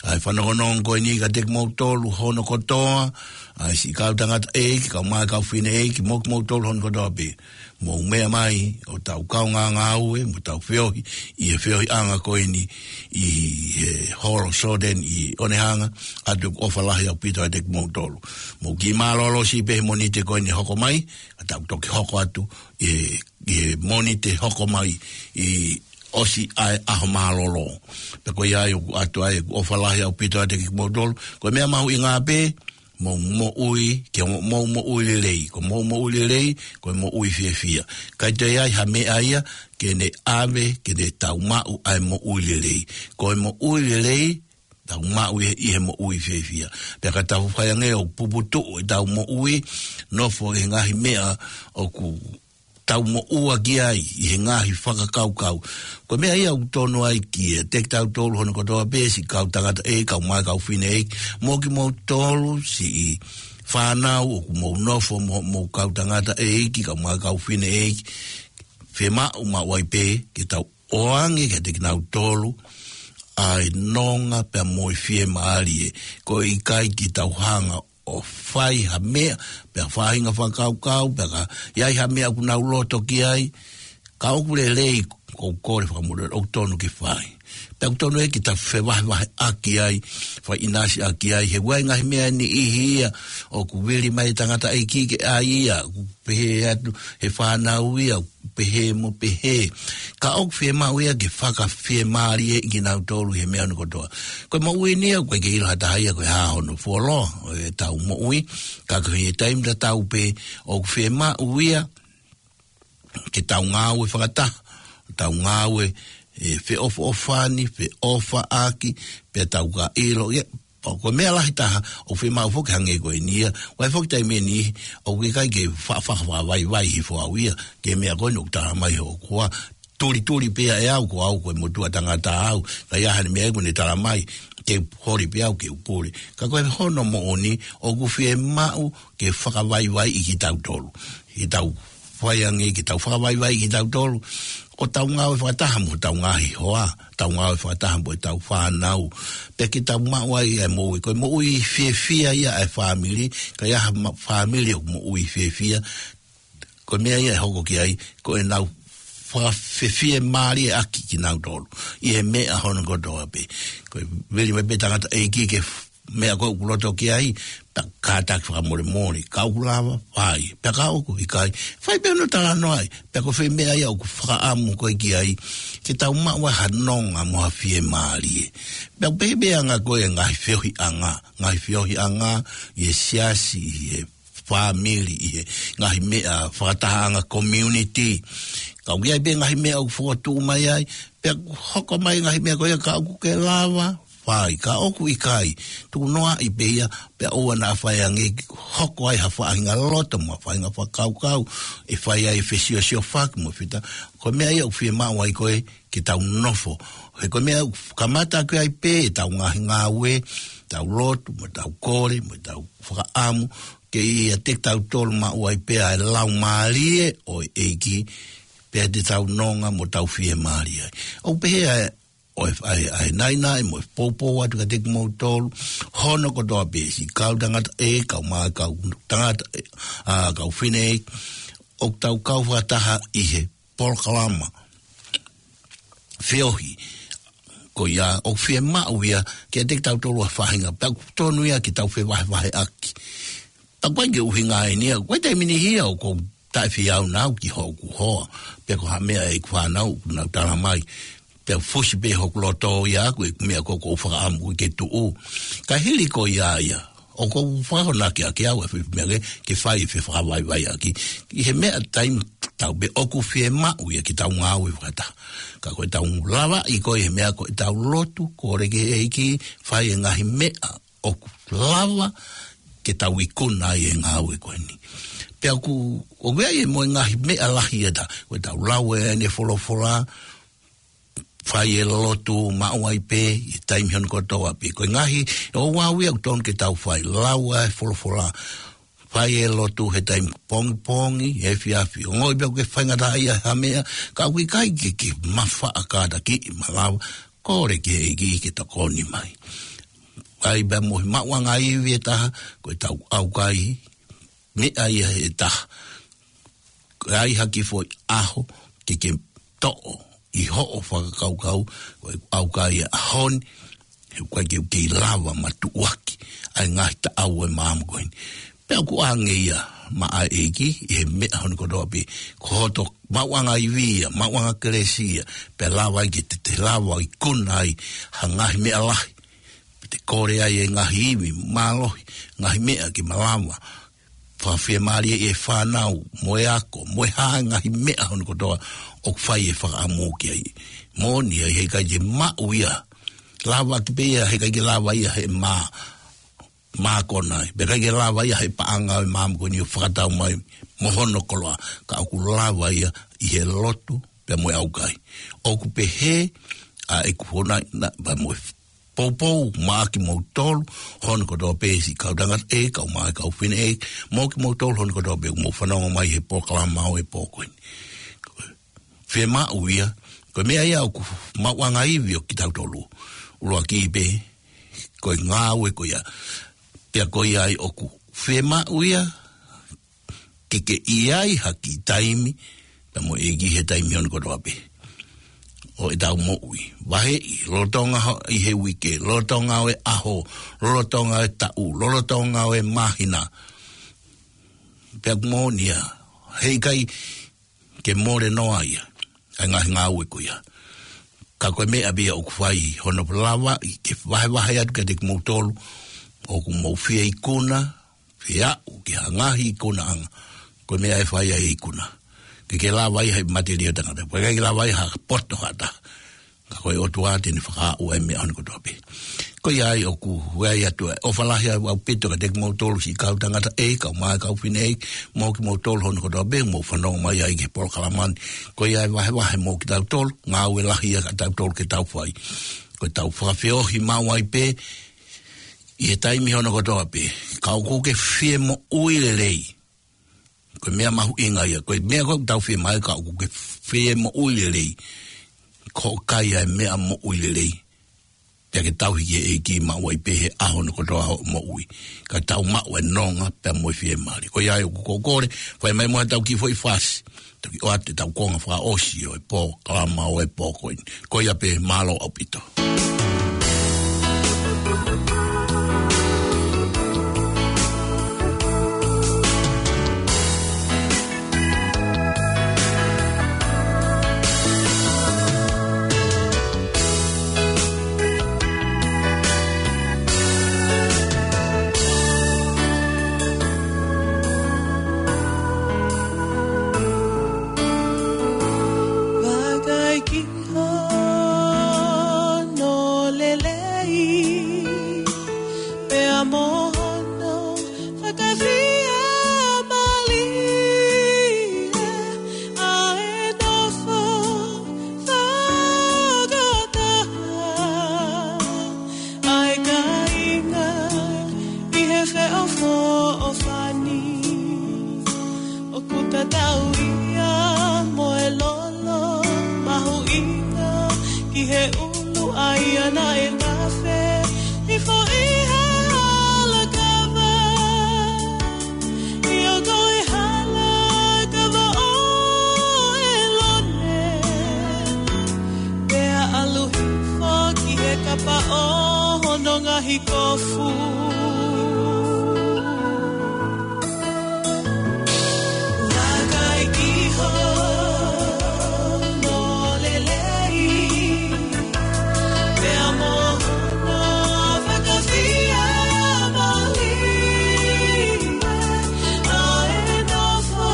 ʻa e fanongonongo ko eni kiate kimoutolu hono kotoa, ʻa e siʻi kau tangataʻeiki, kau mai kau fineʻeiki, mo kimoutolu hono kotoa pē. Mou meʻa mai ʻo tau kaungā ngāue, mo tau feohi ʻi he feohiʻanga ko eni ʻi he holo Sioatani ʻi ʻOnehanga, ʻoatu ʻofa lahi ʻaupito kiate kimoutolu. Mou kiʻi mālōlō siʻi pē he Mōnite ko eni hoko mai, ka tau toki hoko atu ʻi he, ʻi he Mōnite hoko mai ʻi ʻosi ʻa e ʻaho mālōlō. Pea ko ia ai ʻoku ʻoatu ai ʻeku ʻofa lahi ʻaupito kiate kimoutolu. Ko e meʻa mahuʻinga pē, mou moʻui, ke mo-, mou moʻui lelei. Ko mou moʻui lelei, ko e moʻui fiefia. ʻIkai toe ʻi ai ha meʻa ia ke ne ʻave, ke ne tau maʻu ʻa e moʻui lelei. Ko e moʻui lelei, tau maʻu ʻi he, ʻi he moʻui fiefia. Pea ka tau fai ange ʻo puputuʻu ʻetau moʻui, nofo he ngaahi meʻa ʻoku tau moʻua ki ai ʻi he ngaahi fakakaukau. Ko e meʻa ia ʻoku tonu ai kiate kitautolu hono kotoa pē, siʻi kau tangataʻeiki, kau mai kau fineʻeiki, mo kimoutolu siʻi fānau ʻoku mou nofo mo, mo kau tangataʻeiki, kau mai kau fineʻeiki, fiemaʻu maʻu ai pē ke tau ʻoange kiate kinautolu ʻa e nonga pea mo e fiemālie. Ko e ʻikai ke tau hanga ʻo fai ha meʻa, pea faʻahinga fakakaukau, pea ka ʻi ai ha meʻa ʻoku nau loto ki ai, ka ʻoku lelei, ʻoku ou kole fakamolemole, ʻoku tonu ke fai. Pea ʻoku tonu ē ke tau fevahevaheʻaki ai, fakaʻinasiʻaki ai, he ʻoku ʻi ai ngaahi meʻa niʻihi ia ʻoku vili mai e tangataʻeiki ke ʻai ia, ʻoku pehē atu he fānau ia, ʻoku pehē mo pehē. Ka ʻoku fiemaʻu ia ke fakafiemālieʻi kinautolu he meʻa hono kotoa. Ko e moʻui ni ia, ʻoku ʻikai ke ʻilo ha taha ia ko e hā hono fuoloa ʻo ʻetau moʻui, ka ko e taimi tatau pē ʻoku fiemaʻu ia ke tau ngāue fakataha, tau ngāue ʻe feʻofoʻofani, feʻofaʻaki, pea tau ka ʻilo ia. Pea ko e meʻa lahi taha ʻoku fiemaʻu foki hangē ko eni ia, ʻoku ʻi ai foki taimi ʻe niʻihi ʻoku ʻikai ke fa-, fa-, fakavaivai hifo au ia ki he meʻa ko eni ʻoku tala mai hoku hoa. Tulituli pē ia ʻe au, ko au ko e motuʻa tangata au, ka ʻi ai ha meʻa ʻoku ne tala mai, ke holi pē au ke u pule. Ka ko e hono moʻoni ʻoku fiemaʻu ke fakavaivaiʻi kitautolu. Ke tau fai ange ke tau fakavaivaiʻi kitautolu, ʻo tau ngāue fakataha mo hotau ngaahi hoa, tau ngāue fakataha mo ʻetau fānau. Pea ke tau maʻu ai ʻa e moʻui, ko e moʻui fiefia ia ʻa e fāmili, ka ʻi ai ha ma-, fāmili ʻoku moʻui fiefia, ko e meʻa ia ʻe hoko ki ai, ko ʻenau fakafiemālieʻaki kinautolu ʻi he meʻa hono kotoa pē. Ko e vili mai pē tangataʻeiki ki he f-, meʻa ko ē ʻoku loto ki ai, pea kātaki fakamolemole, ka ʻoku lava, fai. Pea ka ʻoku ʻikai, fai pē hono talanoaʻi, pea ko e fē meʻa ia ʻoku fakaʻamu koe ki ai, ke tau maʻu ai ha nonga mo ha fiemālie. Pea ʻoku pehē pē ʻa e anga ko ē ʻa e ngaahi feohiʻanga, ngaahi feohiʻanga ʻi he siasi, ʻi he fāmili, ʻi he ngaahi meʻa fakatahaʻanga community. Ka ʻoku ʻi ai pē ngaahi meʻa ʻoku fokotuʻu mai ai, pea hoko mai ngaahi meʻa ko ia ka ʻoku ke lava, fai, ka ʻoku ʻikai, tuku noaʻi pē ia, pea ʻoua naʻa fai ange ke hoko ai ha faʻahinga loto mo ha faʻahinga fakakaukau ʻe fai ai e fesiosiofaki mo fita. Ko e meʻa ia ʻoku fiemaʻu ai ko ē ke tau nofo. He ko e meʻa ʻoku kamata ʻaki ai pē ʻetau ngaahi ngāue, tau lotu, mo tau kole, mo tau fakaʻamu, ke ʻiate kitautolu maʻu ai pē ʻa e laumālie ʻo e ʻEiki, pea te tau nonga mo tau fiemālie ai. ʻOku pehē ʻa e, ʻo e, ʻa e, ʻa e naʻinaʻi mo e poupou atu kiate kimoutolu, hono kotoa pē siʻi kau tangataʻeiki, kau mai kau tangataʻeiki, ʻa, kau fineʻeiki, ʻoku tau kau fakataha ʻi he polokalama feohi ko ia, ʻoku fiemaʻu ia kiate kitautolu ʻa e faʻahinga, pea ʻoku tonu ia ke tau fevahevaheʻaki. Pea ʻoku ʻikai ke ʻuhinga eni ia, ko e taimi niʻihi ia ʻoku ou taʻefeʻunga au ki hoku hoa, pe ko ha meʻa ʻeku fānau ʻoku nau tala mai, pea fusi pē hoku loto ia ʻaku ʻeku meʻa ko ē ʻoku ou fakaʻamu ke tuʻu. Ka hili ko ia ia, ʻoku ou fakahonaki ʻaki au ʻa e foʻi meʻa ke, ke fai e fefakavaivaiʻaki ʻi he meʻa taimi tatau pē ʻoku fiemaʻu ia ke tau ngāue fakataha. Ka ko ʻetau lavaʻi ko ē he meʻa ko ʻetau lotu, kole ki he ʻEiki, fai e ngaahi meʻa ʻoku lava ke tau ikuna ai e ngāue ko eni. Pea ʻoku, ʻoku ʻi ai e mo e ngaahi meʻa lahi ʻe taha, ko ʻetau lau ʻene folofola, fai e lotu, maʻu ai pē ʻi he taimi hono kotoa pē. Ko e ngaahi, ʻoku ʻi ai ʻoku tonu ke tau fai, lau ʻa e folofola, fai e lotu he taimi pongipongi, efiafi. Ongoʻi pē ʻoku ke faingataʻaʻia ha meʻa, ka ʻoku ʻikai ke, ke mafaʻa kātakiʻi, malava, kole ki he ʻEiki ke tokoni mai. ʻI ai pē mo e maʻuʻanga ivi ʻe taha, ko ʻetau ʻaukai, meʻa ia ʻe taha. Ka ʻi ai ha kiʻi foʻi ʻaho ke ke toʻo ʻi hoʻo fakakaukau, ko e ʻaukai ʻa e ʻaho ni, he ʻoku ʻikai ke u kei lava matuʻuaki ʻa e ngaahi taʻau ʻo e maama ko eni. Pea ʻoku ʻoange ia maʻa e ʻEiki ʻi he meʻa hono kotoa pē, ko hoto maʻuʻanga ivi ia, maʻuʻanga kelesi ia, pea lava ai ke te, te lava ʻo ikuna ai ha ngaahi meʻa lahi. te kole ai e ngaahi ivi mālohi, ngaahi meʻa ke malava fakafiemālie e fānau, mo e ako, mo e hā e ngaahi meʻa hono kotoa ʻoku fai e fakaʻamu ki ai. Moʻoni ai heʻikai ke maʻu ia, lava ki pē ia, heʻikai ke lava ia he mā, mākona ai. Pea ʻikai ke lava ia he paʻanga ʻo e māmani ʻo fakatau mai mo hono koloa. Ka ʻoku lava ia ʻi he lotu pea mo e ʻaukai. ʻOku pehē ʻa ʻeku hona na, pea mo e poupou maʻa kimoutolu hono kotoa pē siʻi kau tangata ʻeiki, kau mā, kau fefine ʻeiki, mo kimoutolu hono kotoa pē ʻoku mou fanongo mai he polokalama ʻo e pō ko eni. Fiemaʻu ia, ko e meʻa ia ʻoku maʻuʻanga ivi ʻo kitautolu. ʻUluaki pē, ko e ngāue ko ia. Pea ko ia ai ʻoku fiemaʻu ia, ke ke ʻi ai ha kiʻi taimi, pea mo e ʻEiki he taimi hono kotoa pē ʻo ʻetau moʻui. Vaheʻi, lolotonga ho-, ʻi he uike, lolotonga ʻo e ʻaho, lolotonga ʻo e taʻu, lolotonga ʻo e māhina. Pea ʻoku moʻoni ia, heʻikai ke mole noa ia ʻa e ngaahi ngāue ko ia. Ka ko e meʻa pē ia ʻoku fai hono lava ke vahevahe atu kiate kimoutolu ʻoku mou fie ikuna, fie aʻu ki ha ngaahi ikunaʻanga. Ko e meʻa ʻe fai ai e ikuna, ke ke lava ai he matelie ʻo e tangata, pea ʻikai ke lava ai ha poto ha taha. Ka ko e ʻOtua te ne fakaaʻu ai e meʻa hono kotoa pē. Ko ia ai ʻoku ʻoatu ai ʻofa lahi ʻaupito kiate kimoutolu siʻi kau tangata ʻeiki, kau mā, kau fefine ʻeiki, mo kimoutolu hono kotoa pē mou fanongo mai ai ki he polokalama ni. Ko ia ai vahevahe mo kitautolu, ngāue lahi ia kiate kitautolu ke tau fai. Ko ʻetau fakafeohi maʻu ai pē ʻi he taimi hono kotoa pē, ka ʻoku ke fie moʻui lelei. Ko e meʻa mahuʻinga ia, ko e meʻa ko ē ʻoku tau fiemaʻu, ka ʻoku ke fie moʻui lelei, ko e kai ʻa e meʻa moʻui lelei. Pea ke tauhi ki he ʻEiki maʻu ai pē he ʻaho hono kotoa hoʻo moʻui. Ka tau maʻu e nonga pea mo e fiemālie. Ko ia ai ʻoku ou kole, fai mai muʻa ʻetau kiʻi foʻi fasi, toki ʻoatu ʻetau konga fakaʻosi ʻo e polokalama ʻo e pō ko eni. Ko ia pē, mālō ʻaupito. Vakai ki hono lelei, pea mo hono fakafiemālie, ʻa e nofo fakataha ʻa e kāinga ʻi he feʻofoʻofani. ʻOku tatau ia mo e lolo mahuʻinga ki he ʻulu ʻa ia naʻe tafe hifo ʻi he hala kava. ʻIo, ko e hala kava ʻo ʻĒlone, pea ʻalu hifo ki he kapa ʻo hono ngaahi kofu. Vakai ki hono lelei, pea mo hono fakafiemālie, ʻa e nofo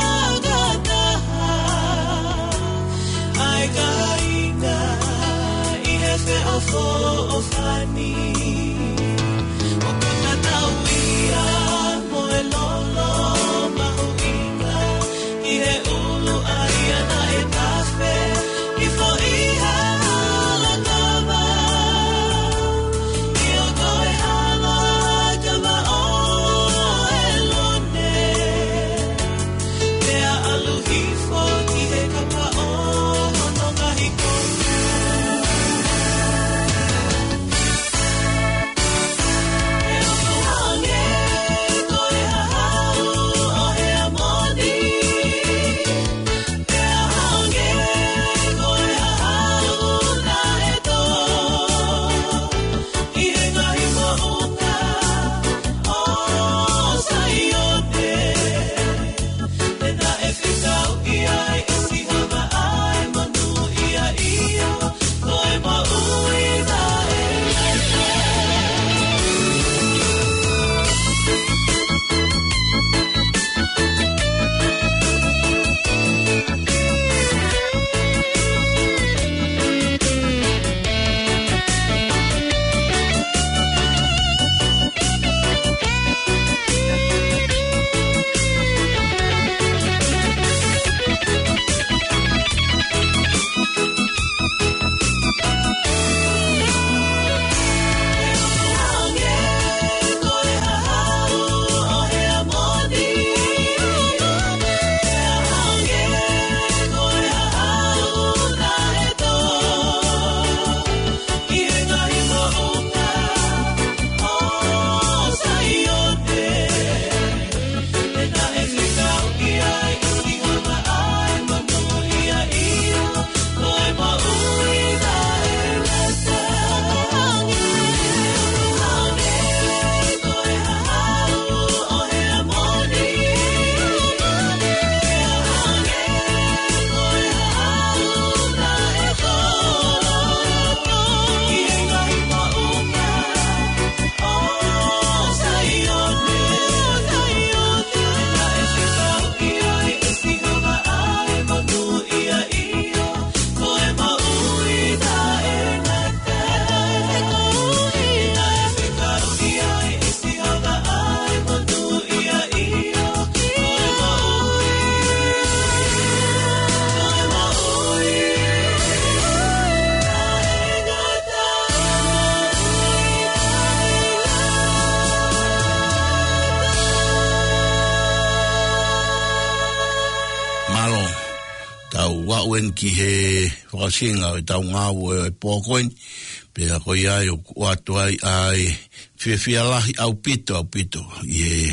fakataha ʻa e kāinga ʻi he feʻofoʻofani. ʻOku tatau ia mo e lolo mahuʻinga ki he ʻulu ʻa ia naʻe tafe hifo ʻi he hala kava. ʻIo, ko e hala kava ʻo ʻĒlone, pea ʻalu hifo ki he kapa ʻo hono ngaahi kofu. Kueni ki he fakaʻosinga ʻo ʻetau ngāue ʻo e pō ko eni, pea ko ia ai ʻoku ʻoatu ai ʻa e fiefia lahi ʻaupito, ʻaupito ʻi he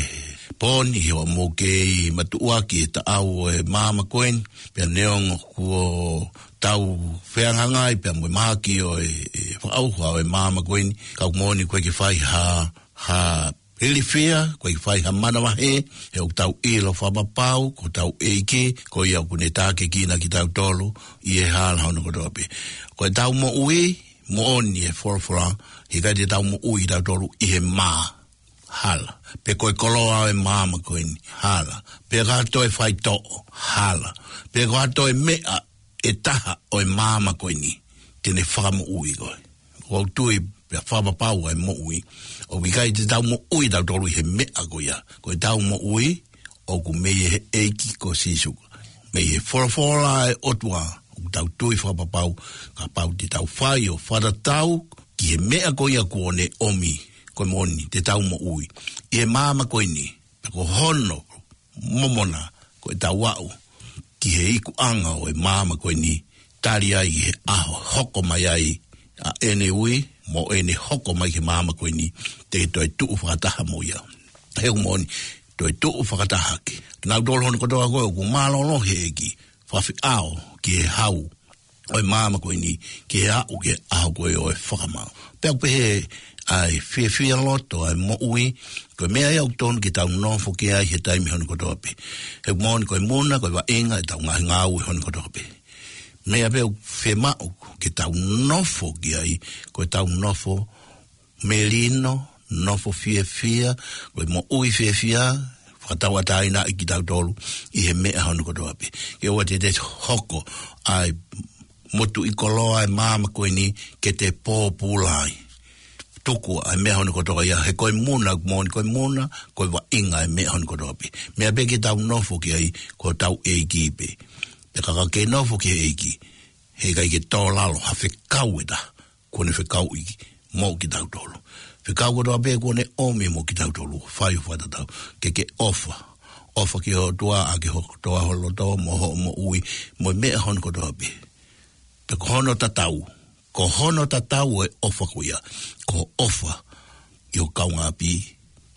pō ni, ʻi hoʻomou kei matuʻuaki e taʻau ʻo e maama ko eni, pea neongo kuo tau fehangahangai pea mo e mahaki ʻo e, e fakaʻauha ʻo e maama ko eni, ka ʻoku moʻoni ʻoku ʻikai ke fai ha, ha ilifia, ʻoku ʻikai ke fai ha manavahē, he ʻoku tau ʻilo fakapapau ko hotau ʻEiki, ko ia ʻoku ne tākiekina kitautolu ʻi he hala hono kotoa pē. Ko ʻetau moʻui, moʻoni e folofola, he ʻikai te tau moʻui kitautolu ʻi he mā, hala. Pe ko e koloa ʻo e maama ko eni, hala. Pe ko ha toe faitoʻo, hala. Pe ko ha toe meʻa ʻe taha ʻo e maama ko eni te ne fakamoʻui koe. ʻOku ou tui pea fakapapau ʻa e moʻui, ʻoku ʻikai te tau moʻui tautolu ʻi he meʻa ko ia. Ko ʻetau moʻui ʻoku mei he ʻEiki ko Sīsū. Mei he folofola ʻa e ʻOtua, ʻoku tau tui fakapapau, kapau te tau fai ʻo fakatatau ki he meʻa ko ia kuo ne ʻomi, ko e moʻoni te tau moʻui ʻi he maama ko eni. Pea ko hono momona ko ʻetau aʻu ki he ikuʻanga ʻo e maama ko eni, tali ai he ʻaho hoko mai ai ʻa ʻene ui mo ʻene hoko mai ki he maama ko eni, te ke toe tuʻu fakataha mo ia. He ʻoku moʻoni, toe tuʻu fakataha hake. Kinautolu hono kotoa ko ē ʻoku mālōlō he ʻEiki, fafeʻao ki he hau ʻo e maama ko eni, ki he aʻu ki he ʻaho ko ē ʻo e fakamaau. Pea ʻoku pehē ʻa e fiefia loto ʻa e moʻui, ko e meʻa ia ʻoku tonu ke tau nofo ki ai he taimi hono kotoa pē. He ʻoku moʻoni ko e muna, ko e vaʻinga ʻetau ngaahi ngāue hono kotoa pē. Meʻa pē ʻoku fiemaʻu ke tau nofo ki ai, ko ʻetau nofo melino, nofo fiefia, ko e moʻui fiefia, fakatauʻatāinaʻi kitautolu ʻi he meʻa hono kotoa pē. Ke ʻoua te te hoko ʻa e motuʻi koloa ʻa e maama ko eni ke te pōpula ai. Tuku ʻa e meʻa hono kotoa ia, he ko e muna, moʻoni ko e muna, ko e vaʻinga ʻa e meʻa hono kotoa pē. Meʻa pē ke tau nofo ki ai, ko hotau ʻEiki pē. Pea ka ke nofo ki he ʻEiki, he ʻikai ke tō lalo ha fekau ʻe taha kuo ne fekauʻi mo kitautolu. Fekau kotoa pē kuo ne ʻomi mo kitautolu, fai ʻo fakatatau. Ke ke ʻofa. ʻOfa ki ho ʻOtua ʻaki ho kotoa ho loto mo hoʻo moʻui, mo e meʻa hono kotoa pē. Pea ko hono tatau, ko hono tatau ʻo e ʻofa ko ia, ko e ʻofa ʻi ho kaungāʻapi,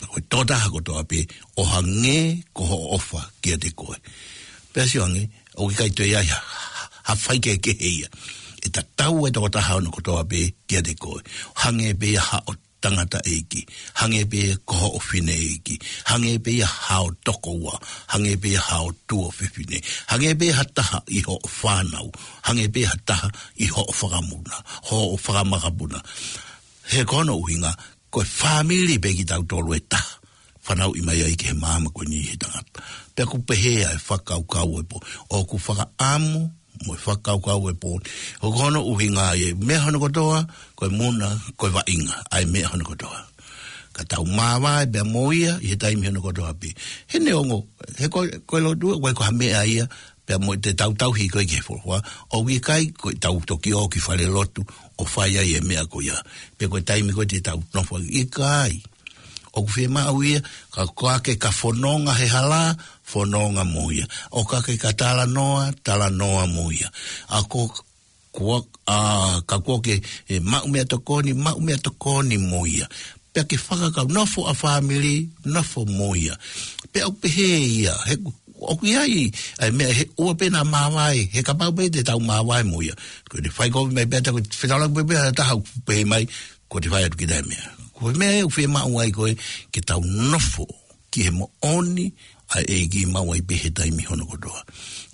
ko e tokotaha kotoa pē, ʻo hangē ko hoʻo ʻofa kiate koe. Pea sio ange, ʻoku ʻikai toe ʻi ai ha, ha, ha faikehekehe ia. ʻE tatau e tokotaha hono kotoa pē kiate koe. Hangē pē ia haʻo tangataʻeiki. Hangē pē ia ko hoʻo fineʻeiki. Hangē pē ia haʻo tokoua. Hangē pē ia haʻo tuofefine. Hangē pē ia ha taha ʻi hoʻo fānau. Hangē pē ia ha taha ʻi hoʻo fakamuna. Hoʻo fakamakapuna. He ko hono ʻuhinga, ko e fāmili pē kitautolu ʻe taha. Fanauʻi mai ai ki he maama ko eni he tangata. Pea ʻoku pehē ʻa e fakakaukau ʻo e pō. ʻOku fakaʻamu mo e fakakaukau ʻo e pō. ʻOku hono ʻuhinga ia, meʻa hono kotoa, ko e muna, ko e vaʻinga, ʻa e meʻa hono kotoa. Ka tau māvae pea mo ia, ʻi he taimi hono kotoa pē. He neongo, he ko, ko e lotu, ko e ko ha meʻa ia, pea mo te tau tauhi ko ē ki he folofola, ʻoku ʻikai ko e tau toki ō ki fale lotu, ʻo fai ai e meʻa ko ia. Pe ko e taimi ko ē te tau nofo ai, ʻikai. ʻOku fiemaʻu ia, ka ko ā ke ka fononga he hala, fononga mo ia. ʻO ka ke ka talanoa, talanoa mo ia. ʻA ko, ko, ʻa, ka ko ā ke, ʻe, maʻu meʻatokoni, maʻu meʻatokoni mo ia. Pea ke fakakau nofo ʻa fāmili, nofo mo ia. Pea ʻoku pehē ia, he ʻoku ʻi ai, ʻa e meʻa he ʻoua pē naʻa māvae, he kapau pē te tau māvae mo ia. Ko e fai ko ē mai pē ʻa e taha, ko e fetaulaki pē ʻa e taha, pehē mai, ko e fai atu ki he meʻa. Ko e meʻa ʻoku fiemaʻu ai ko ē, ke tau nofo ki he moʻoni ʻa e ʻEiki maʻu ai pē he taimi hono kotoa.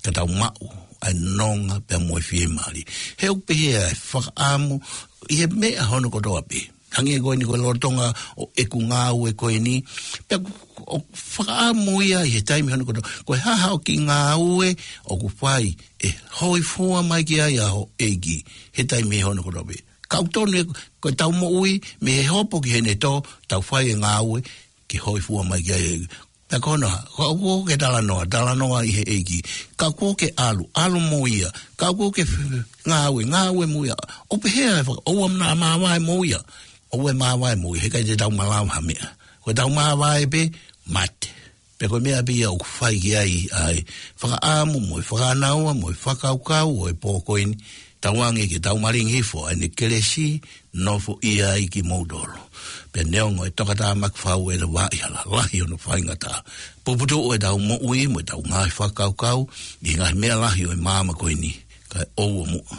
Ka tau maʻu ʻa e nonga pea mo e fiemālie. He ʻoku pehē ʻa e fakaʻamu ʻi he meʻa hono kotoa pē. Hangē ko eni ko e lolotonga ʻo ʻeku ngāue ko eni. Pea ʻoku fakaʻamu ia ʻi he taimi hono kotoa. Ko e hā haʻo kiʻi ngāue ʻoku fai ʻe hōifua mai ki ai ʻa ho ʻEiki he taimi hono kotoa pē. Ka ʻoku tonu ē, ko ʻetau moʻui, mei he hopo ki heʻene tō, tau fai e ngāue, ke hōifua mai ki ai. Pea ko hono, ka ʻoku ke talanoa, talanoa ʻi he ʻEiki. Ka ʻoku ke ʻalu, ʻalu mo ia. Ka ʻoku ke f-, ngāue, ngāue mo ia. ʻOku pehē ʻa e faka-, ʻoua naʻa māvae mo ia. ʻOua ʻe māvae mo ia, he ʻikai te tau malava ha meʻa. Ko ʻetau māvae pē, mate. Pea ko e meʻa pē ia ʻoku fai ki ai ʻa e fakaʻamu mo e fakanaua mo e fakakaukau ʻo e pō ko eni, tauange ke tau malingi hifo ʻa ʻene kelesi, nofoʻia ai kimoutolu. Pea neongo e tokatāmaki fau ʻe he vaʻa hala lahi hono faingataʻa, puputuʻu ʻetau moʻui mo ʻetau ngaahi fakakaukau ʻi he ngaahi meʻa lahi ʻo e māmani ko eni, kae ʻoua muʻa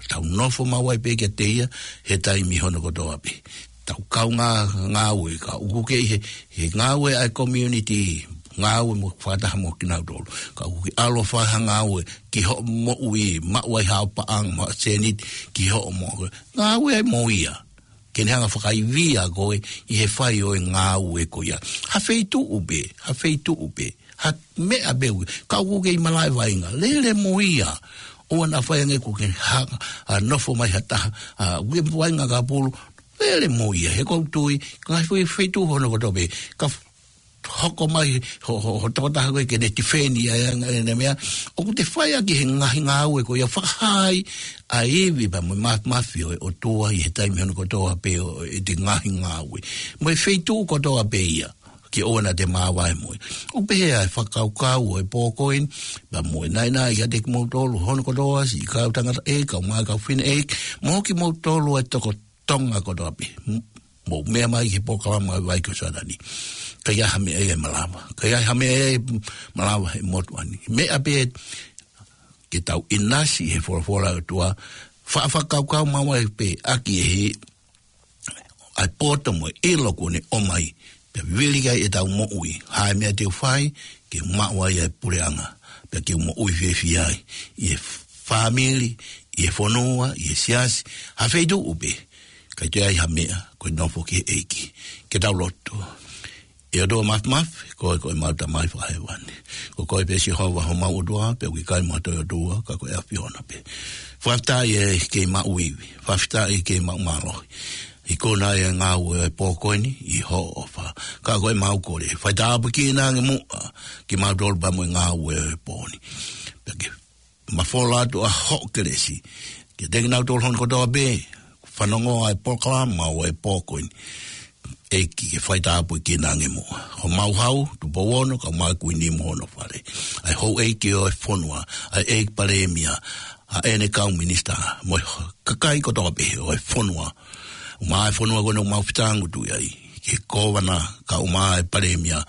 tau nofo maʻu ai pē kiate ia he taimi hono kotoa pē. Tau kau ngā-, ngāue, ka ʻoku kei he, he ngāue ʻa e community, ngāue mo fakataha mo kinautolu. Ka ʻoku ke ʻalu ʻo fai ha ngāue ki hoʻo moʻui, maʻu ai haʻo paʻanga mo haʻo sēniti ki hoʻo moʻui. Ngāue ai mo ia. Ke ne hanga fakaivia koe ʻi he fai ʻo e ngāue ko ia. Ha feituʻu pē, ha feituʻu pē, ha meʻa pē ʻoku, ka ʻoku kei malaʻe vaʻinga, lele mo ia. ʻOua naʻa fai ange kuo ke hanga ʻo nofo mai ha taha, ʻa, ʻoku kei vaʻinga ka pulu, lele mo ia. He ʻoku ou tui, ka fai feituʻu hono kotoa pē, ka f-, hoko mai ho, ho, ho tokotaha ko ē ke ne tifeni ʻa e anga ʻene meʻa, ʻoku te fai ʻaki he ngaahi ngāue ko ia fakahā ai ʻa e ivi pea mo e ma-, māfimafi ʻo e ʻOtua ʻi he taimi hono kotoa pē ʻo ʻete ngaahi ngāue. Mo e feituʻu kotoa pē ia, ke ʻoua naʻa te māvae mo ia. ʻOku pehē ʻa e fakakaukau ʻo e pō ko eni, pea mo e naʻinaʻi kiate kimoutolu hono kotoa, siʻi kau tangataʻeiki, kau mai kau fineʻeiki, mo kimoutolu ʻa e toko Tonga kotoa pē. M-, mou meʻa mai ki he polokalama ʻa e Vai ko Sātani. Ka ʻi ai ha meʻa ia ʻe malava. Ka ʻi ai ha meʻa ia ʻe malava he motuʻa ni. Meʻa pē ke tau ʻinasi he folofola ʻa e ʻOtua. Fa-, fakakaukau maʻu ai pē ʻaki ʻe he ʻa e poto mo e ʻilo kuo ne ʻomai. Pea vili ki ai ʻetau moʻui. Ha meʻa te u fai, ke maʻu ai ʻa e puleʻanga. Pea ke u moʻui fiefia ai. ʻI he fāmili, ʻi he fonua, ʻi he siasi, ha feituʻu pē. Ka ʻi ai ha meʻa, ko e nofo ki he ʻEiki. Ke tau lotu. ʻE ʻOtua Māfimafi, ko koe ko homau Tamai fakahēvani. Ko koe pē Sihova homau ʻOtua, pea ʻoku ʻikai mo ha toe ʻOtua, ka ko e ʻAfiona pē. Fakafetaʻi ʻi he kei maʻu ivi, fakafetaʻi ʻi he kei maʻu mālohi. ʻI he kona ʻa e ngāue ʻo e pō ko eni, ʻi hoʻo ʻofa. Ka ko ʻemau kole, fai tāpuekina ange muʻa, kimautolu pea mo e ngāue ʻo e pō ni. Pea ke mafola atu ʻa hoʻo kelesi kiate kinautolu hono kotoa pē, fanongo ʻa e polokalama ʻo e pō ko eni. ʻEiki ke fai tāpuekina ange muʻa. Homau hau, Tupou Ono, kau mai Kuini mo hono fale. ʻA e houʻeiki ʻo e fonua, ʻa e ʻEiki Palēmia, ʻa ʻene kau minisitā, mo e kakai kotoa pē ʻo e fonua. ʻUmaʻā ʻa e fonua ko eni ʻoku mau fetangutu ai, ki he kōvana, kae ʻumaʻā ʻa e palēmia,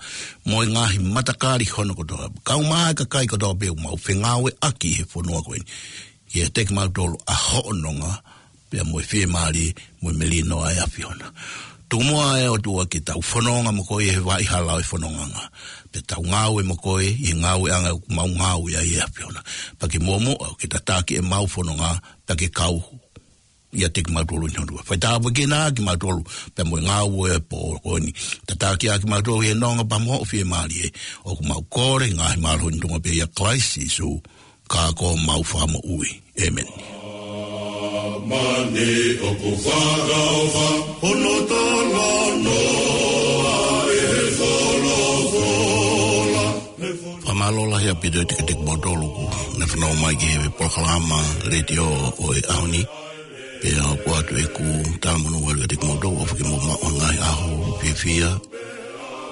mo e ngaahi matakali hono kotoa. Kae ʻumaʻā ʻa e kakai kotoa pē ʻoku mau fengāueʻaki he fonua ko eni. ʻIate kimautolu ʻa hoʻo nonga, pea mo e fiemālie, mo e melino ʻa e ʻAfiona. Tuku muʻa ʻe ʻOtua ke tau fononga mo koe he vaʻa hala ʻo e fonongaʻanga. Pea tau ngāue mo koe, ʻi he ngāueʻanga ʻoku mau ngāue ai ʻe ʻAfiona. Pea ke muʻomuʻa, ke tataki ʻemau fononga, pea ke kau ʻiate kimautolu ʻi hono ʻOtua. Fai tāpuekina kimautolu, pea mo e ngāue ʻo e pō ko eni. Tataki ʻa kimautolu ʻi he nonga pea mo hoʻo fiemālie. ʻOku mau kole, ngaahi mālohi ʻi he tuʻunga pē ʻia Kalaisi Sīsū, ka ko homau Fakamoʻui. ʻĒmeni. Mani ʻoku fakaʻofa, hono talanoa ʻe he folofola. Fakamālō lahi ʻaupito atu kiate kimoutolu ʻoku ne fanongo mai ki he polokalama letiō ʻo e ʻaho ni. Pea ʻoku ʻoatu ʻeku talamonū atu kiate kimoutolu ʻofa ke mou maʻu ha ngaahi ʻaho fiefia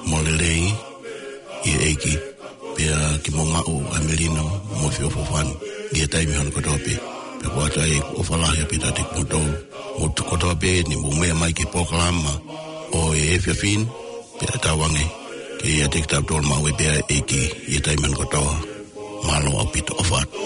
mo lelei ʻi he ʻEiki. Pea ke mou maʻu ʻa e melino mo e feʻofoʻofani ʻi he taimi hono kotoa pē. Pea ʻoku ʻoatu ai ʻeku ʻofa lahi ʻaupito kiate kimoutolu. Mou tuku kotoa pē ʻeni mou meʻa mai ki he polokalama ʻo e efiafi ni. Pea tauange ke ʻiate kitautolu maʻu ai pē ʻa e ʻEiki ʻi he taimi hono kotoa. Mālō ʻaupito, ʻofa atu.